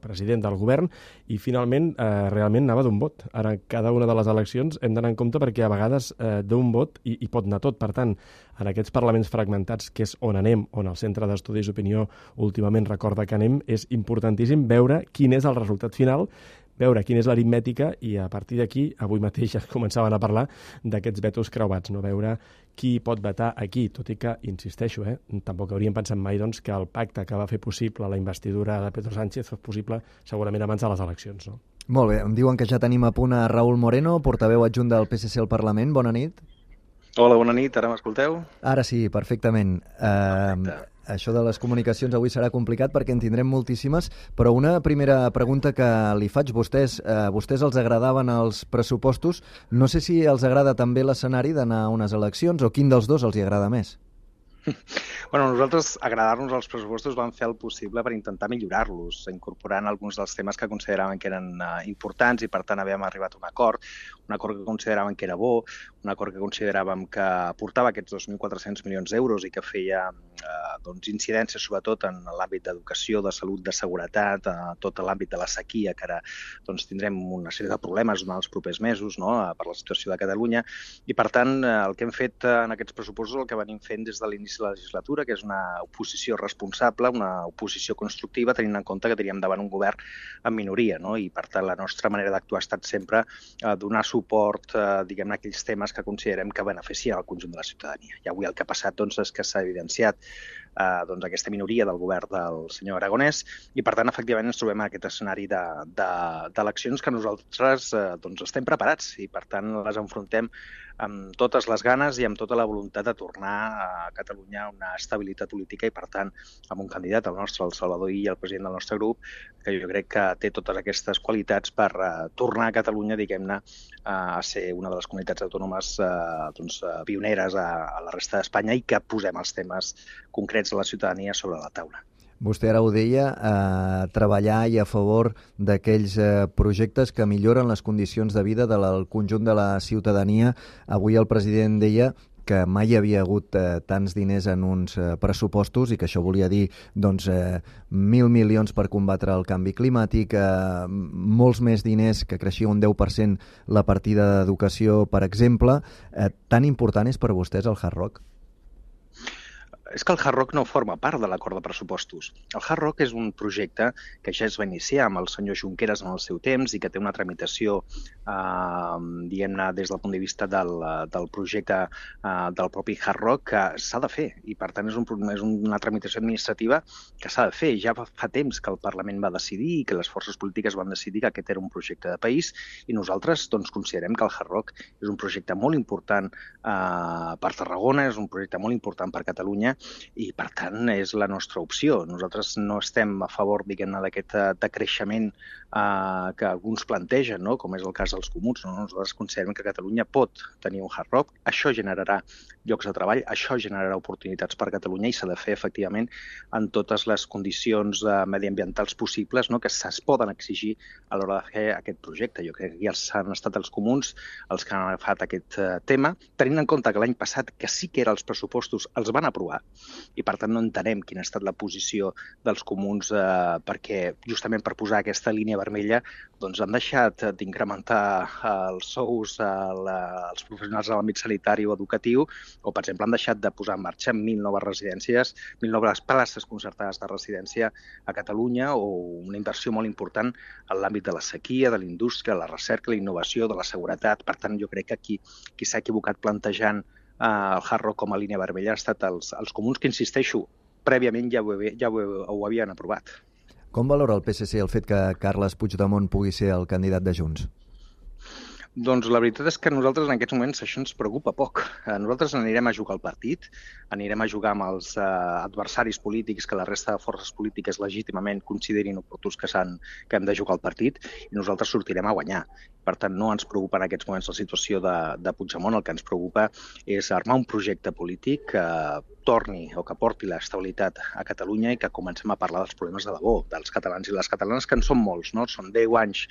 president del govern i finalment realment anava d'un vot. Ara, cada una de les eleccions hem d'anar en compte perquè a vegades d'un vot hi pot anar tot. Per tant, en aquests parlaments fragmentats, que és on anem, on el Centre d'Estudis d'Opinió últimament recorda que anem, és importantíssim veure quin és el resultat final, veure quina és l'aritmètica i a partir d'aquí, avui mateix ja començaven a parlar d'aquests vetos creuats, no? Veure qui pot vetar aquí, tot i que, insisteixo, tampoc hauríem pensat mai doncs, que el pacte que va fer possible la investidura de Pedro Sánchez fos possible segurament abans de les eleccions, no? Molt bé, em diuen que ja tenim a punt a Raúl Moreno, portaveu adjunt del PSC al Parlament. Bona nit. Hola, bona nit, ara m'escolteu? Ara sí, perfectament. Això de les comunicacions avui serà complicat perquè en tindrem moltíssimes, però una primera pregunta que li faig. Vostès els agradaven els pressupostos. No sé si els agrada també l'escenari d'anar a unes eleccions o quin dels dos els hi agrada més. Bueno, nosaltres, agradar-nos els pressupostos, vam fer el possible per intentar millorar-los, incorporant alguns dels temes que consideraven que eren importants i, per tant, havíem arribat a un acord que consideraven que era bo, un acord que consideràvem que aportava aquests 2.400 milions d'euros i que feia incidència sobretot en l'àmbit d'educació, de salut, de seguretat, tot l'àmbit de la sequia, que ara tindrem una sèrie de problemes durant els propers mesos per la situació de Catalunya. I, per tant, el que hem fet en aquests pressupostos, el que venim fent des de l'inici de la legislatura, que és una oposició responsable, una oposició constructiva, tenint en compte que teníem davant un govern en minoria, no? I, per tant, la nostra manera d'actuar ha estat sempre donar suport, diguem-ne, a aquells temes que considerem que beneficien el conjunt de la ciutadania. I avui el que ha passat és que s'ha evidenciat aquesta minoria del govern del senyor Aragonès i, per tant, efectivament ens trobem en aquest escenari d'eleccions que nosaltres estem preparats i, per tant, les enfrontem amb totes les ganes i amb tota la voluntat de tornar a Catalunya a una estabilitat política i, per tant, amb un candidat, el nostre, el Salvador Illa, el president del nostre grup, que jo crec que té totes aquestes qualitats per tornar a Catalunya, diguem-ne, a ser una de les comunitats autònomes pioneres a la resta d'Espanya i que posem els temes concrets de la ciutadania sobre la taula. Vostè ara ho deia, treballar i a favor d'aquells projectes que milloren les condicions de vida del conjunt de la ciutadania. Avui el president deia que mai hi havia hagut tants diners en uns pressupostos i que això volia dir 1.000 milions per combatre el canvi climàtic, molts més diners, que creixia un 10% la partida d'educació, per exemple. Tan important és per vostès el Hard Rock? És que el Hard Rock no forma part de l'acord de pressupostos. El Hard Rock és un projecte que ja es va iniciar amb el senyor Junqueras en el seu temps i que té una tramitació, diguem-ne, des del punt de vista del projecte del propi Hard Rock, que s'ha de fer. I, per tant, és una tramitació administrativa que s'ha de fer. Ja fa temps que el Parlament va decidir i que les forces polítiques van decidir que aquest era un projecte de país i nosaltres considerem que el Hard Rock és un projecte molt important per Tarragona, és un projecte molt important per Catalunya i, per tant, és la nostra opció. Nosaltres no estem a favor, diguem-ne, d'aquest decreixement que alguns plantegen, no? Com és el cas dels comuns. No? Nosaltres considerem que Catalunya pot tenir un Hard Rock, això generarà llocs de treball, això generarà oportunitats per Catalunya i s'ha de fer, efectivament, en totes les condicions mediambientals possibles, no? Que es poden exigir a l'hora de fer aquest projecte. Jo crec que ja han estat els comuns els que han agafat aquest tema, tenint en compte que l'any passat, que sí que eren els pressupostos, els van aprovar, i per tant no entenem quina ha estat la posició dels comuns perquè justament per posar aquesta línia vermella han deixat d'incrementar els sous als professionals de l'àmbit sanitari o educatiu o, per exemple, han deixat de posar en marxa 1.000 noves residències, 1.000 noves places concertades de residència a Catalunya o una inversió molt important en l'àmbit de la sequia, de la indústria, la recerca, la innovació, de la seguretat. Per tant, jo crec que aquí qui s'ha equivocat plantejant el Hard Rock com a línia vermella ha estat els comuns, que, insisteixo, prèviament ja ho havien aprovat. Com valora el PSC el fet que Carles Puigdemont pugui ser el candidat de Junts? Doncs la veritat és que a nosaltres en aquests moments això ens preocupa poc. Nosaltres anirem a jugar al partit, anirem a jugar amb els adversaris polítics que la resta de forces polítiques legítimament considerin oportuns que hem de jugar al partit i nosaltres sortirem a guanyar. Per tant, no ens preocupa en aquests moments la situació de Puigdemont, el que ens preocupa és armar un projecte polític que torni o que porti l'estabilitat a Catalunya i que comencem a parlar dels problemes de debò, dels catalans i les catalanes, que en són molts, no? Són 10 anys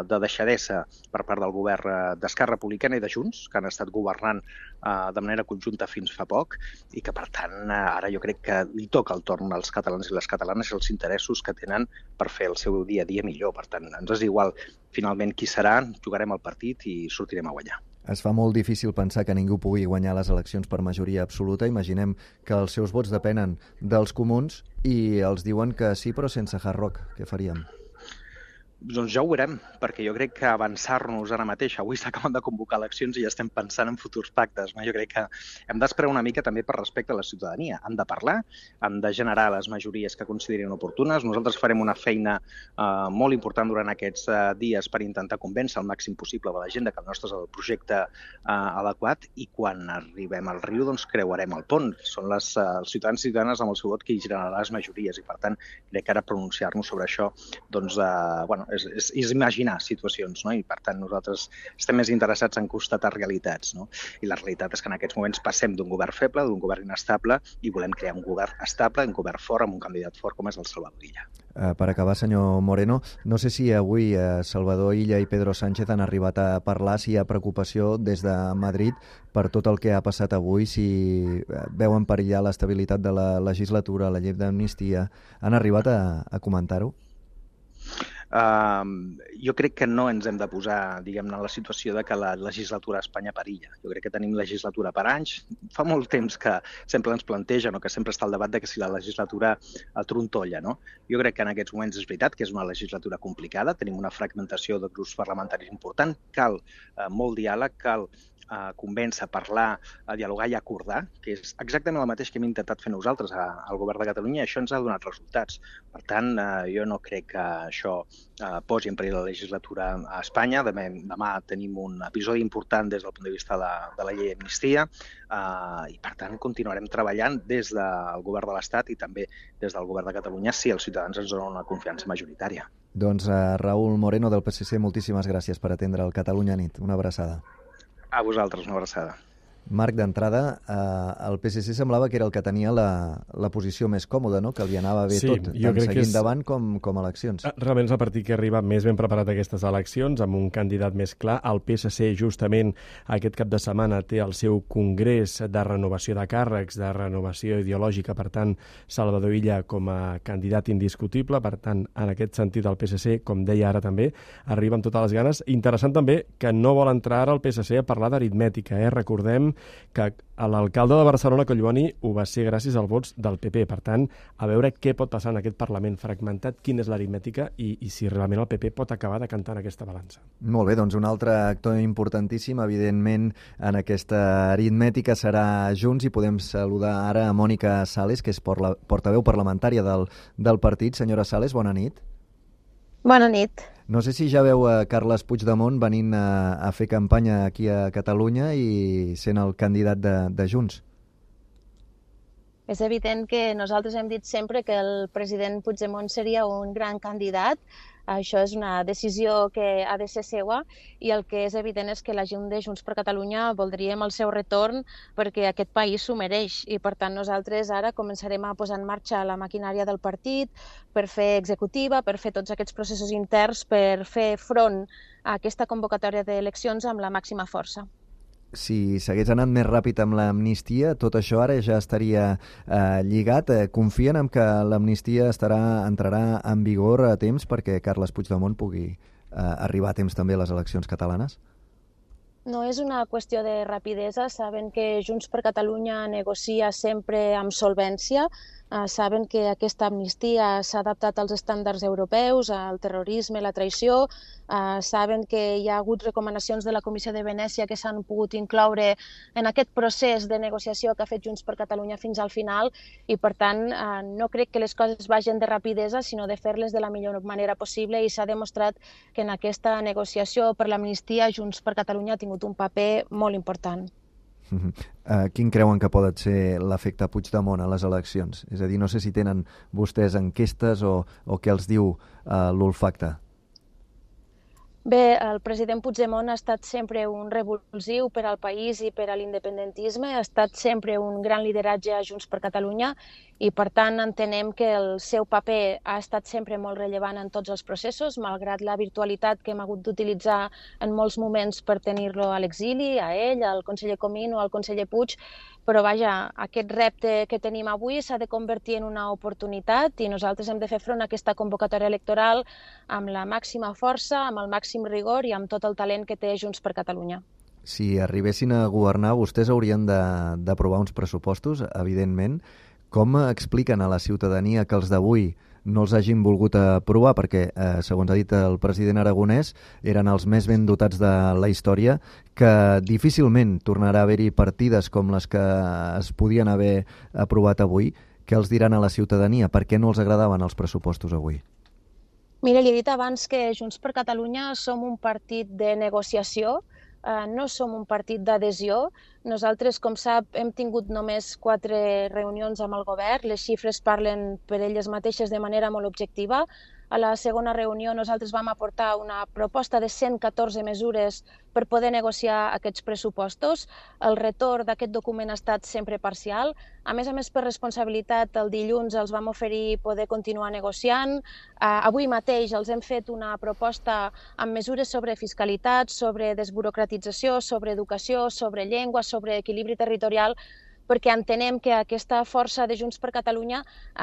de deixadesa per part del govern d'Esquerra Republicana i de Junts, que han estat governant de manera conjunta fins fa poc i que, per tant, ara jo crec que li toca el torn als catalans i les catalanes i els interessos que tenen per fer el seu dia a dia millor. Per tant, ens és igual finalment qui serà, jugarem al partit i sortirem a guanyar. Es fa molt difícil pensar que ningú pugui guanyar les eleccions per majoria absoluta. Imaginem que els seus vots depenen dels comuns i els diuen que sí, però sense Hard Rock. Què faríem? Doncs ja ho veurem, perquè jo crec que avançar-nos ara mateix, avui s'acaben de convocar eleccions i ja estem pensant en futurs pactes. No? Jo crec que hem d'esperar una mica també per respecte a la ciutadania. Han de parlar, han de generar les majories que considerin oportunes. Nosaltres farem una feina molt important durant aquests dies per intentar convèncer el màxim possible de la gent que el nostre és el projecte adequat i quan arribem al riu doncs creuarem el pont. Són els ciutadans i ciutadanes amb el seu vot que hi generarà les majories i per tant crec que ara pronunciar-nos sobre això doncs, és imaginar situacions, no? I per tant nosaltres estem més interessats en constatar realitats, no? I la realitat és que en aquests moments passem d'un govern feble, d'un govern inestable i volem crear un govern estable, un govern fort, amb un candidat fort com és el Salvador Illa. Per acabar, senyor Moreno, no sé si avui Salvador Illa i Pedro Sánchez han arribat a parlar, si hi ha preocupació des de Madrid per tot el que ha passat avui, si veuen perillar l'estabilitat de la legislatura, la llei d'amnistia. Han arribat a comentar-ho? Jo crec que no ens hem de posar, diguem-ne, en la situació de que la legislatura a Espanya perilla. Jo crec que tenim legislatura per anys. Fa molt temps que sempre ens plantegen o que sempre està el debat de que si la legislatura trontolla, no? Jo crec que en aquests moments és veritat que és una legislatura complicada, tenim una fragmentació de grups parlamentaris important, cal molt diàleg, cal convèncer, parlar, dialogar i acordar, que és exactament el mateix que hem intentat fer nosaltres al govern de Catalunya i això ens ha donat resultats. Per tant, jo no crec que això posi en perill la legislatura a Espanya. Demà tenim un episodi important des del punt de vista de la llei d'amnistia i, per tant, continuarem treballant des del govern de l'Estat i també des del govern de Catalunya si els ciutadans ens donen una confiança majoritària. Doncs Raúl Moreno del PSC, moltíssimes gràcies per atendre el Catalunya Nit. Una abraçada. A vosaltres, una abraçada. Marc, d'entrada, el PSC semblava que era el que tenia la posició més còmoda, no? Que li anava bé tot, tant seguir endavant com eleccions. Realment és el partit que arriba més ben preparat a aquestes eleccions, amb un candidat més clar. El PSC, justament, aquest cap de setmana té el seu congrés de renovació de càrrecs, de renovació ideològica, per tant, Salvador Illa com a candidat indiscutible. Per tant, en aquest sentit, el PSC, com deia ara també, arriba amb totes les ganes. Interessant també que no vol entrar ara el PSC a parlar d'aritmètica. Recordem que l'alcalde de Barcelona, Collboni, ho va ser gràcies als vots del PP. Per tant, a veure què pot passar en aquest Parlament fragmentat, quina és l'aritmètica i si realment el PP pot acabar decantant aquesta balança. Molt bé, doncs un altre actor importantíssim, evidentment, en aquesta aritmètica serà Junts, i podem saludar ara a Mònica Sales, que és portaveu parlamentària del partit. Senyora Sales, bona nit. Bona nit. No sé si ja veu a Carles Puigdemont venint a fer campanya aquí a Catalunya i sent el candidat de Junts. És evident que nosaltres hem dit sempre que el president Puigdemont seria un gran candidat. Això és una decisió que ha de ser seua i el que és evident és que la gent de Junts per Catalunya voldríem el seu retorn perquè aquest país s'ho mereix i per tant nosaltres ara començarem a posar en marxa la maquinària del partit per fer executiva, per fer tots aquests processos interns, per fer front a aquesta convocatòria d'eleccions amb la màxima força. Si s'hagués anat més ràpid amb l'amnistia, tot això ara ja estaria lligat. Confien en que l'amnistia entrarà en vigor a temps perquè Carles Puigdemont pugui arribar a temps també a les eleccions catalanes? No és una qüestió de rapidesa. Saben que Junts per Catalunya negocia sempre amb solvència. Saben que aquesta amnistia s'ha adaptat als estàndards europeus, al terrorisme, la traïció. Saben que hi ha hagut recomanacions de la Comissió de Venècia que s'han pogut incloure en aquest procés de negociació que ha fet Junts per Catalunya fins al final i, per tant, no crec que les coses vagin de rapidesa, sinó de fer-les de la millor manera possible i s'ha demostrat que en aquesta negociació per l'amnistia Junts per Catalunya ha tingut un paper molt important. Quin creuen que pot ser l'efecte Puigdemont a les eleccions? És a dir, no sé si tenen vostès enquestes o què els diu l'olfacte. Bé, el president Puigdemont ha estat sempre un revulsiu per al país i per a l'independentisme, ha estat sempre un gran lideratge a Junts per Catalunya i, per tant, entenem que el seu paper ha estat sempre molt rellevant en tots els processos, malgrat la virtualitat que hem hagut d'utilitzar en molts moments per tenir-lo a l'exili, a ell, al conseller Comín o al conseller Puig, però vaja, aquest repte que tenim avui s'ha de convertir en una oportunitat i nosaltres hem de fer front a aquesta convocatòria electoral amb la màxima força, amb el màxim rigor i amb tot el talent que té Junts per Catalunya. Si arribessin a governar, vostès haurien d'aprovar uns pressupostos, evidentment. Com expliquen a la ciutadania que els d'avui no els hagin volgut aprovar perquè, segons ha dit el president aragonès, eren els més ben dotats de la història, que difícilment tornarà a haver-hi partides com les que es podien haver aprovat avui? Què els diran a la ciutadania? Per què no els agradaven els pressupostos avui? Mira, li he dit abans que Junts per Catalunya som un partit de negociació, no som un partit d'adhesió. Nosaltres, com sap, hem tingut només 4 reunions amb el govern. Les xifres parlen per elles mateixes de manera molt objectiva. A la segona reunió nosaltres vam aportar una proposta de 114 mesures per poder negociar aquests pressupostos. El retorn d'aquest document ha estat sempre parcial. A més, per responsabilitat, el dilluns els vam oferir poder continuar negociant. Avui mateix els hem fet una proposta amb mesures sobre fiscalitat, sobre desburocratització, sobre educació, sobre llengua, sobre equilibri territorial, perquè entenem que aquesta força de Junts per Catalunya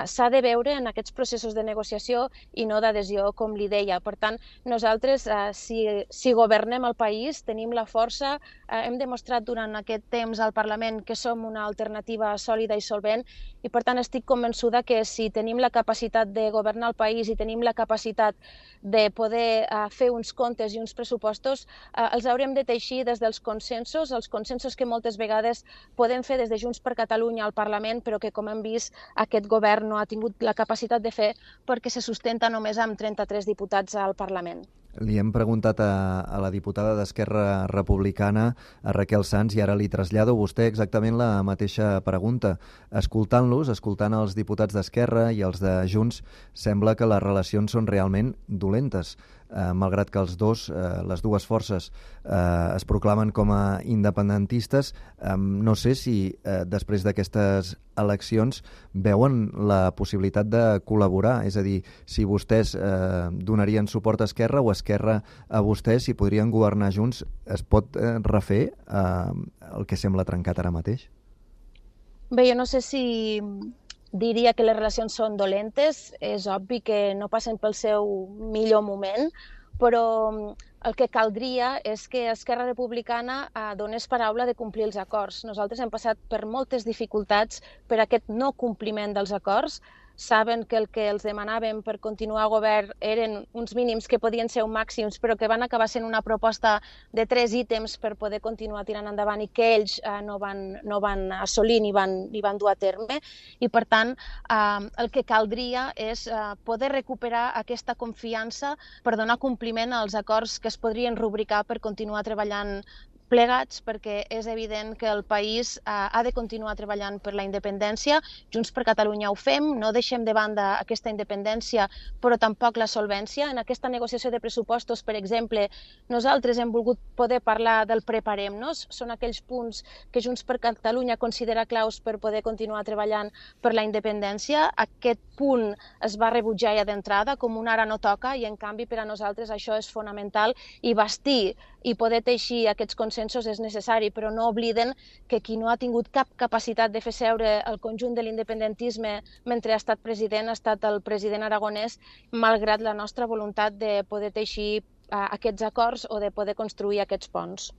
s'ha de veure en aquests processos de negociació i no d'adhesió, com li deia. Per tant, nosaltres, si governem el país, tenim la força, hem demostrat durant aquest temps al Parlament que som una alternativa sòlida i solvent i, per tant, estic convençuda que si tenim la capacitat de governar el país i tenim la capacitat de poder fer uns comptes i uns pressupostos, els haurem de teixir des dels consensos, els consensos que moltes vegades podem fer des de Junts per Catalunya al Parlament, però que, com hem vist, aquest govern no ha tingut la capacitat de fer perquè se sustenta només amb 33 diputats al Parlament. Li hem preguntat a la diputada d'Esquerra Republicana, a Raquel Sans, i ara li trasllado a vostè exactament la mateixa pregunta. Escoltant-los, escoltant els diputats d'Esquerra i els de Junts, sembla que les relacions són realment dolentes. malgrat que les dues forces es proclamen com a independentistes. No sé si després d'aquestes eleccions veuen la possibilitat de col·laborar, és a dir, si vostès donarien suport a Esquerra o Esquerra a vostès, si podrien governar junts, es pot refer el que sembla trencat ara mateix? Bé, jo no sé si diria que les relacions són dolentes, és obvi que no passen pel seu millor moment, però el que caldria és que Esquerra Republicana donés paraula de complir els acords. Nosaltres hem passat per moltes dificultats per aquest no compliment dels acords. Saben que el que els demanàvem per continuar a govern eren uns mínims que podien ser uns màxims, però que van acabar sent una proposta de 3 ítems per poder continuar tirant endavant i que ells no van assolir ni van dur a terme. I, per tant, el que caldria és poder recuperar aquesta confiança per donar compliment als acords que es podrien rubricar per continuar treballant plegats, perquè és evident que el país ha de continuar treballant per la independència. Junts per Catalunya ho fem, no deixem de banda aquesta independència, però tampoc la solvència. En aquesta negociació de pressupostos, per exemple, nosaltres hem volgut poder parlar del preparem-nos. Són aquells punts que Junts per Catalunya considera claus per poder continuar treballant per la independència. Aquest punt es va rebutjar ja d'entrada, com un ara no toca, i en canvi per a nosaltres això és fonamental, i bastir i poder teixir aquests consensos és necessari, però no obliden que qui no ha tingut cap capacitat de fer seure el conjunt de l'independentisme mentre ha estat president ha estat el president aragonès, malgrat la nostra voluntat de poder teixir aquests acords o de poder construir aquests ponts.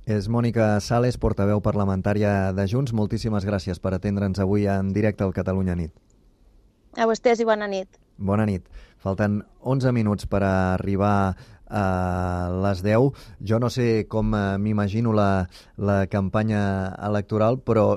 És Mònica Sales, portaveu parlamentària de Junts. Moltíssimes gràcies per atendre'ns avui en directe al Catalunya Nit. A vostès i bona nit. Bona nit. Falten 11 minuts per arribar a les 10. Jo no sé com m'imagino la campanya electoral, però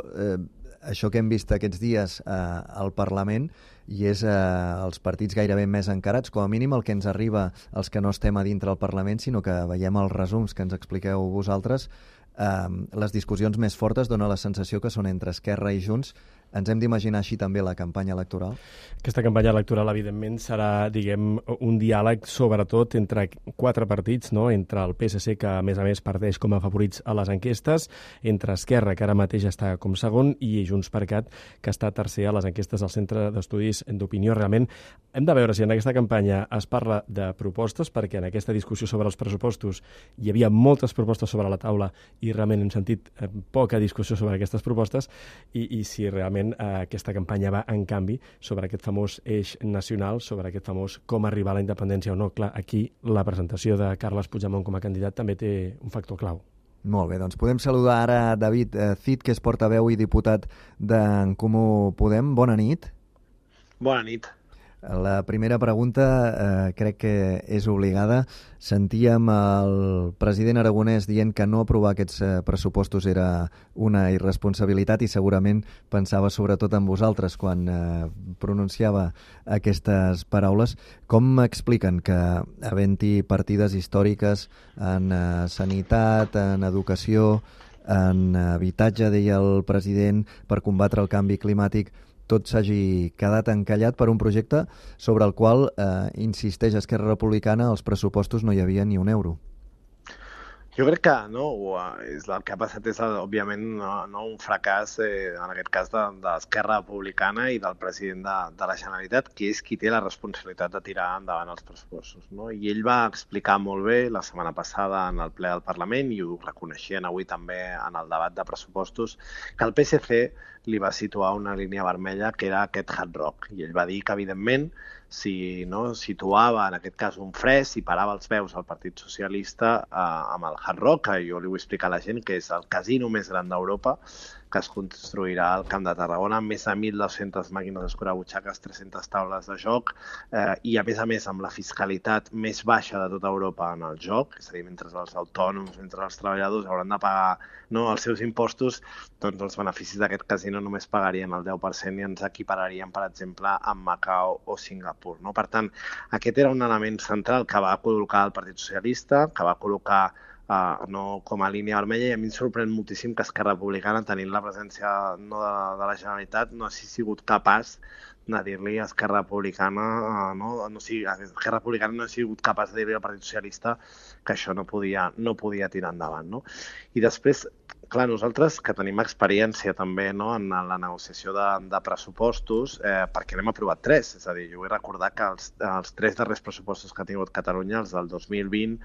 això que hem vist aquests dies al Parlament i és els partits gairebé més encarats, com a mínim el que ens arriba els que no estem a dintre del Parlament, sinó que veiem els resums que ens expliqueu vosaltres, les discussions més fortes dona la sensació que són entre Esquerra i Junts. Ens hem d'imaginar així també la campanya electoral? Aquesta campanya electoral, evidentment, serà, diguem, un diàleg sobretot entre 4 partits, no? Entre el PSC, que a més parteix com a favorits a les enquestes, entre Esquerra, que ara mateix està com segon, i Junts per Cat, que està tercer a les enquestes del Centre d'Estudis d'Opinió. Realment, hem de veure si en aquesta campanya es parla de propostes, perquè en aquesta discussió sobre els pressupostos hi havia moltes propostes sobre la taula i realment hem sentit poca discussió sobre aquestes propostes, i si realment aquesta campanya va, en canvi, sobre aquest famós eix nacional, sobre aquest famós com arribar a la independència o no. Clar, aquí la presentació de Carles Puigdemont com a candidat també té un factor clau. Molt bé, doncs podem saludar ara David Cid, que és portaveu i diputat d'En Comú Podem. Bona nit. Bona nit. La primera pregunta crec que és obligada. Sentíem el president aragonès dient que no aprovar aquests pressupostos era una irresponsabilitat i segurament pensava sobretot en vosaltres quan pronunciava aquestes paraules. Com expliquen que havent-hi partides històriques en sanitat, en educació, en habitatge, deia el president, per combatre el canvi climàtic, tot s'hagi quedat encallat per un projecte sobre el qual, insisteix Esquerra Republicana, als pressupostos no hi havia ni un euro? Jo crec que el que ha passat és, òbviament, un fracàs, en aquest cas, d'Esquerra Republicana i del president de la Generalitat, que és qui té la responsabilitat de tirar endavant els pressupostos. I ell va explicar molt bé la setmana passada en el ple del Parlament, i ho reconeixien avui també en el debat de pressupostos, que el PSC li va situar una línia vermella que era aquest hard rock. I ell va dir que, evidentment, si situava, en aquest cas, un fre, si parava els peus al Partit Socialista amb el Hard Rock, que jo li vull explicar a la gent que és el casino més gran d'Europa, que es construirà al Camp de Tarragona, amb més de 1.200 màquines escurabutxaques, 300 taules de joc, i a més amb la fiscalitat més baixa de tota Europa en el joc, és a dir, mentre els autònoms, mentre els treballadors hauran de pagar els seus impostos, doncs els beneficis d'aquest casino només pagarien el 10% i ens equipararien, per exemple, amb Macau o Singapur. Per tant, aquest era un element central que va col·locar el Partit Socialista, que va col·locar com a línia vermella, i a mi em sorprèn moltíssim que Esquerra Republicana, tenint la presència de la Generalitat, no hagi sigut capaç dir-li a Esquerra Republicana, Esquerra Republicana no ha sigut capaç de dir-li al Partit Socialista que això no podia tirar endavant. No? I després, clar, nosaltres que tenim experiència també en la negociació de pressupostos, perquè n'hem aprovat 3, és a dir, jo vull recordar que els 3 darrers pressupostos que ha tingut Catalunya, els del 2020,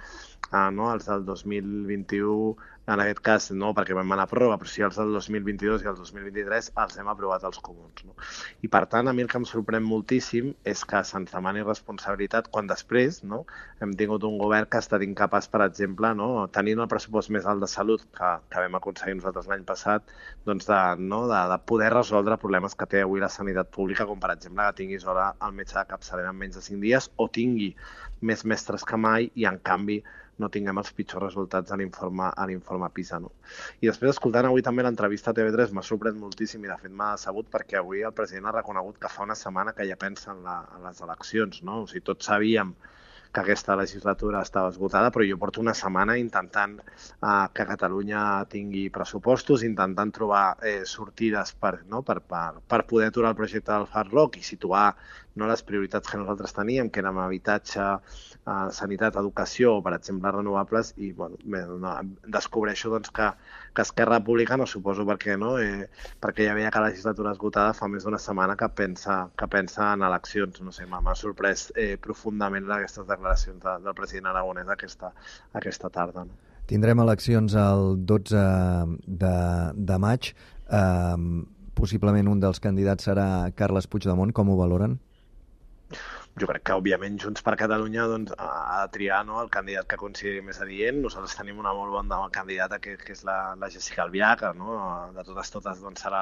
els del 2021, en aquest cas no, perquè vam anar a pròrroga, però sí els del 2022 i el 2023 els hem aprovat els comuns. No? I per tant, a mi el que em sorprèn moltíssim és que se'ns demani responsabilitat quan després hem tingut un govern que ha estat incapaç, per exemple, tenint el pressupost més alt de salut que vam aconseguir nosaltres l'any passat, de poder resoldre problemes que té avui la sanitat pública, com per exemple que tinguis hora al metge de capçalera en menys de 5 dies o tingui més mestres que mai i, en canvi, no tinguem els pitjors resultats a l'informe PISA. No? I després, escoltant avui també l'entrevista a TV3, m'ha sorprès moltíssim i, de fet, m'ha decebut perquè avui el president ha reconegut que fa una setmana que ja pensa en les eleccions. No? O sigui, tots sabíem que aquesta legislatura estava esgotada, però jo porto una setmana intentant que Catalunya tingui pressupostos, intentant trobar sortides per poder aturar el projecte del Hard Rock i situar les prioritats que nosaltres teníem, que eren habitatge, sanitat, educació o, per exemple, renovables, i descobreixo que Esquerra Republicana, suposo perquè ja veia que la legislatura esgotada, fa més d'una setmana que pensa en eleccions. No sé, m'ha sorprès profundament aquestes declaracions del president aragonès aquesta tarda. No? Tindrem eleccions el 12 de maig. Possiblement un dels candidats serà Carles Puigdemont. Com ho valoren? Jo crec que, òbviament, Junts per Catalunya ha de triar el candidat que consideri més adient. Nosaltres tenim una molt bona candidata, que és la Jéssica Albiach, de totes serà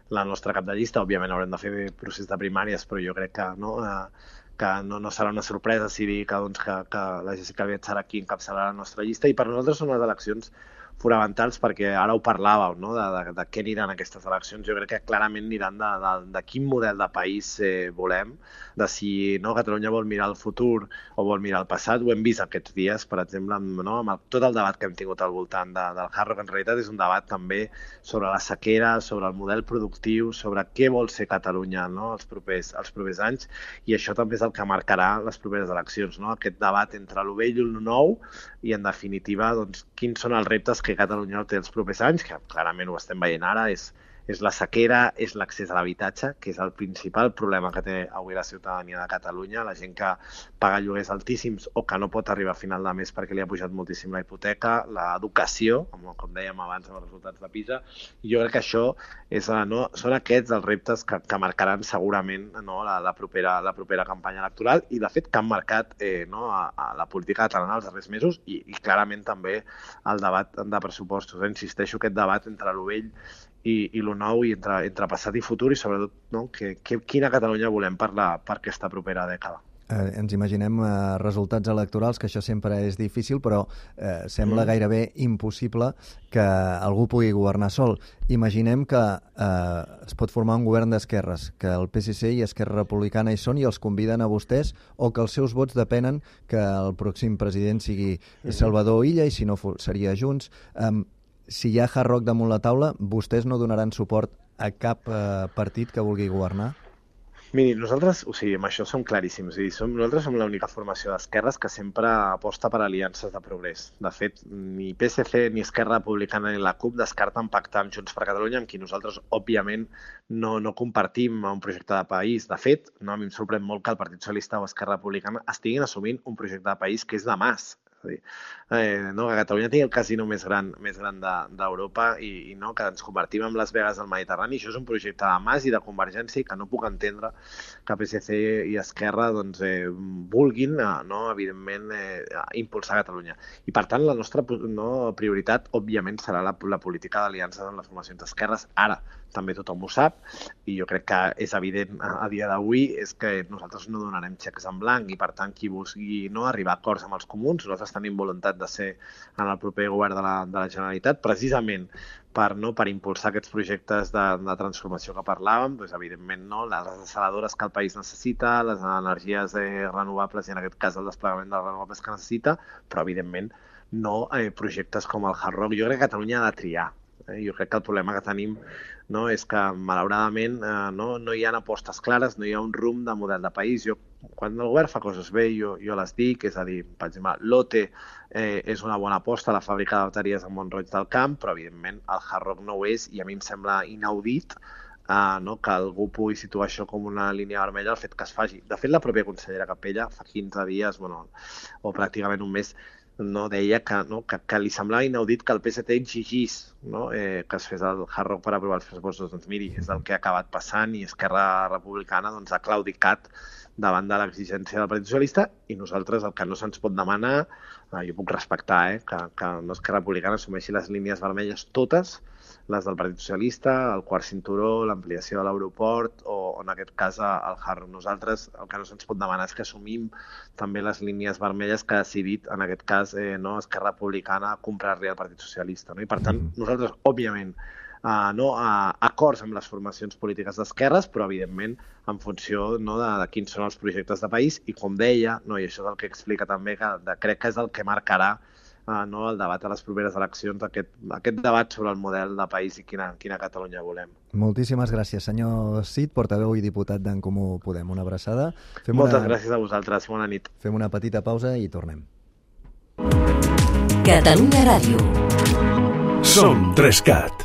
la nostra cap de llista. Òbviament haurem de fer procés de primàries, però jo crec que no serà una sorpresa si dir que la Jéssica Albiach serà qui encapçalarà la nostra llista. I per nosaltres són unes eleccions fonamentals, perquè ara ho parlàveu, de què aniran aquestes eleccions. Jo crec que clarament aniran de quin model de país volem, de si Catalunya vol mirar el futur o vol mirar el passat. Ho hem vist aquests dies, per exemple, amb tot el debat que hem tingut al voltant del Hard Rock. En realitat és un debat també sobre la sequera, sobre el model productiu, sobre què vol ser Catalunya els propers anys, i això també és el que marcarà les properes eleccions. Aquest debat entre el vell i el nou, i en definitiva quins són els reptes que Catalunya té els propers anys, que clarament ho estem veient ara, és la sequera, és l'accés a l'habitatge, que és el principal problema que té avui la ciutadania de Catalunya, la gent que paga lloguers altíssims o que no pot arribar a final de mes perquè li ha pujat moltíssim la hipoteca, l'educació, com dèiem abans amb els resultats de PISA, i jo crec que això són aquests els reptes que marcaran segurament la propera campanya electoral, i de fet que han marcat a la política catalana els darrers mesos i clarament també el debat de pressupostos. Insisteixo, aquest debat entre lo vell i lo nou, i entre passat i futur, i sobretot quina Catalunya volem per aquesta propera dècada. Ens imaginem resultats electorals, que això sempre és difícil, però sembla gairebé impossible que algú pugui governar sol. Imaginem que es pot formar un govern d'esquerres, que el PSC i Esquerra Republicana hi són i els conviden a vostès, o que els seus vots depenen que el pròxim president sigui Salvador Illa, i si no seria Junts. Si hi ha Hard Rock damunt la taula, vostès no donaran suport a cap partit que vulgui governar? Miri, nosaltres, amb això som claríssims. Nosaltres som l'única formació d'esquerres que sempre aposta per aliances de progrés. De fet, ni PSC, ni Esquerra Republicana, ni la CUP descarten pactar amb Junts per Catalunya, amb qui nosaltres, òbviament, no compartim un projecte de país. De fet, a mi em sorprèn molt que el Partit Socialista o Esquerra Republicana estiguin assumint un projecte de país que és de Mas. Que Catalunya tingui el casino més gran d'Europa i que ens convertim en Las Vegas del Mediterrani. Això és un projecte de Mas i de Convergència, i que no puc entendre que PSC i Esquerra vulguin, evidentment, impulsar Catalunya. I, per tant, la nostra prioritat, òbviament, serà la política d'aliances amb les formacions d'esquerres. Ara, també tothom ho sap, i jo crec que és evident a dia d'avui, és que nosaltres no donarem xecs en blanc, i per tant qui vulgui arribar a acords amb els comuns, nosaltres tenim voluntat de ser en el proper govern de la Generalitat, precisament per impulsar aquests projectes de transformació que parlàvem, evidentment les desaladores que el país necessita, les energies renovables, i en aquest cas el desplegament de les renovables que necessita, però evidentment no projectes com el Hard Rock. Jo crec que Catalunya ha de triar. Jo crec que el problema que tenim és que, malauradament, no hi ha apostes clares, no hi ha un rumb de model de país. Quan el govern fa coses bé, jo les dic, és a dir, per exemple, l'OTE és una bona aposta, la fàbrica de bateries a Mont-roig del Camp, però, evidentment, el Hard Rock no ho és, i a mi em sembla inaudit que algú pugui situar això com una línia vermella, el fet que es faci. De fet, la pròpia consellera Capella, fa 15 dies, o pràcticament un mes, deia que li semblava inaudit que el PSC exigís que es fes el Hard Rock per aprovar els pressupostos. Doncs miri, és el que ha acabat passant i Esquerra Republicana ha claudicat davant de l'exigència del Partit Socialista, i nosaltres el que no se'ns pot demanar, jo puc respectar que Esquerra Republicana assumeixi les línies vermelles totes, les del Partit Socialista, el quart cinturó, l'ampliació de l'aeroport o, en aquest cas, el Hard Rock. Nosaltres el que no se'ns pot demanar és que assumim també les línies vermelles que ha decidit, en aquest cas, Esquerra Republicana comprar-li al Partit Socialista. I, per tant, nosaltres, òbviament, acords amb les formacions polítiques d'esquerres, però, evidentment, en funció de quins són els projectes de país, i, com deia, i això és el que explica també, que crec que és el que marcarà el debat a les properes eleccions, aquest debat sobre el model de país i quina Catalunya volem. Moltíssimes gràcies, senyor Cid, portaveu i diputat d'en Comú Podem. Una abraçada. Moltes gràcies a vosaltres. Bona nit. Fem una petita pausa i tornem. Catalunya Ràdio. Som 3CAT.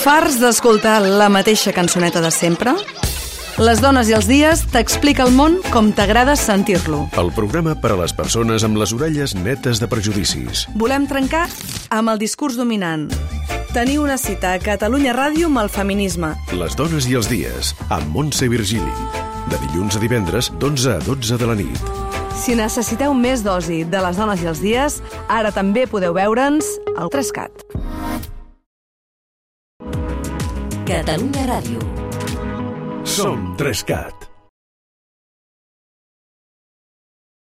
Farts d'escoltar la mateixa cançoneta de sempre? Les dones i els dies t'explica el món com t'agrada sentir-lo. El programa per a les persones amb les orelles netes de prejudicis. Volem trencar amb el discurs dominant. Tenir una cita a Catalunya Ràdio amb el feminisme. Les dones i els dies, amb Montse Virgili. De dilluns a divendres, d'11 a 12 de la nit. Si necessiteu més dosi de les dones i els dies, ara també podeu veure'ns al 3CAT. Catalunya Ràdio. Som 3CAT.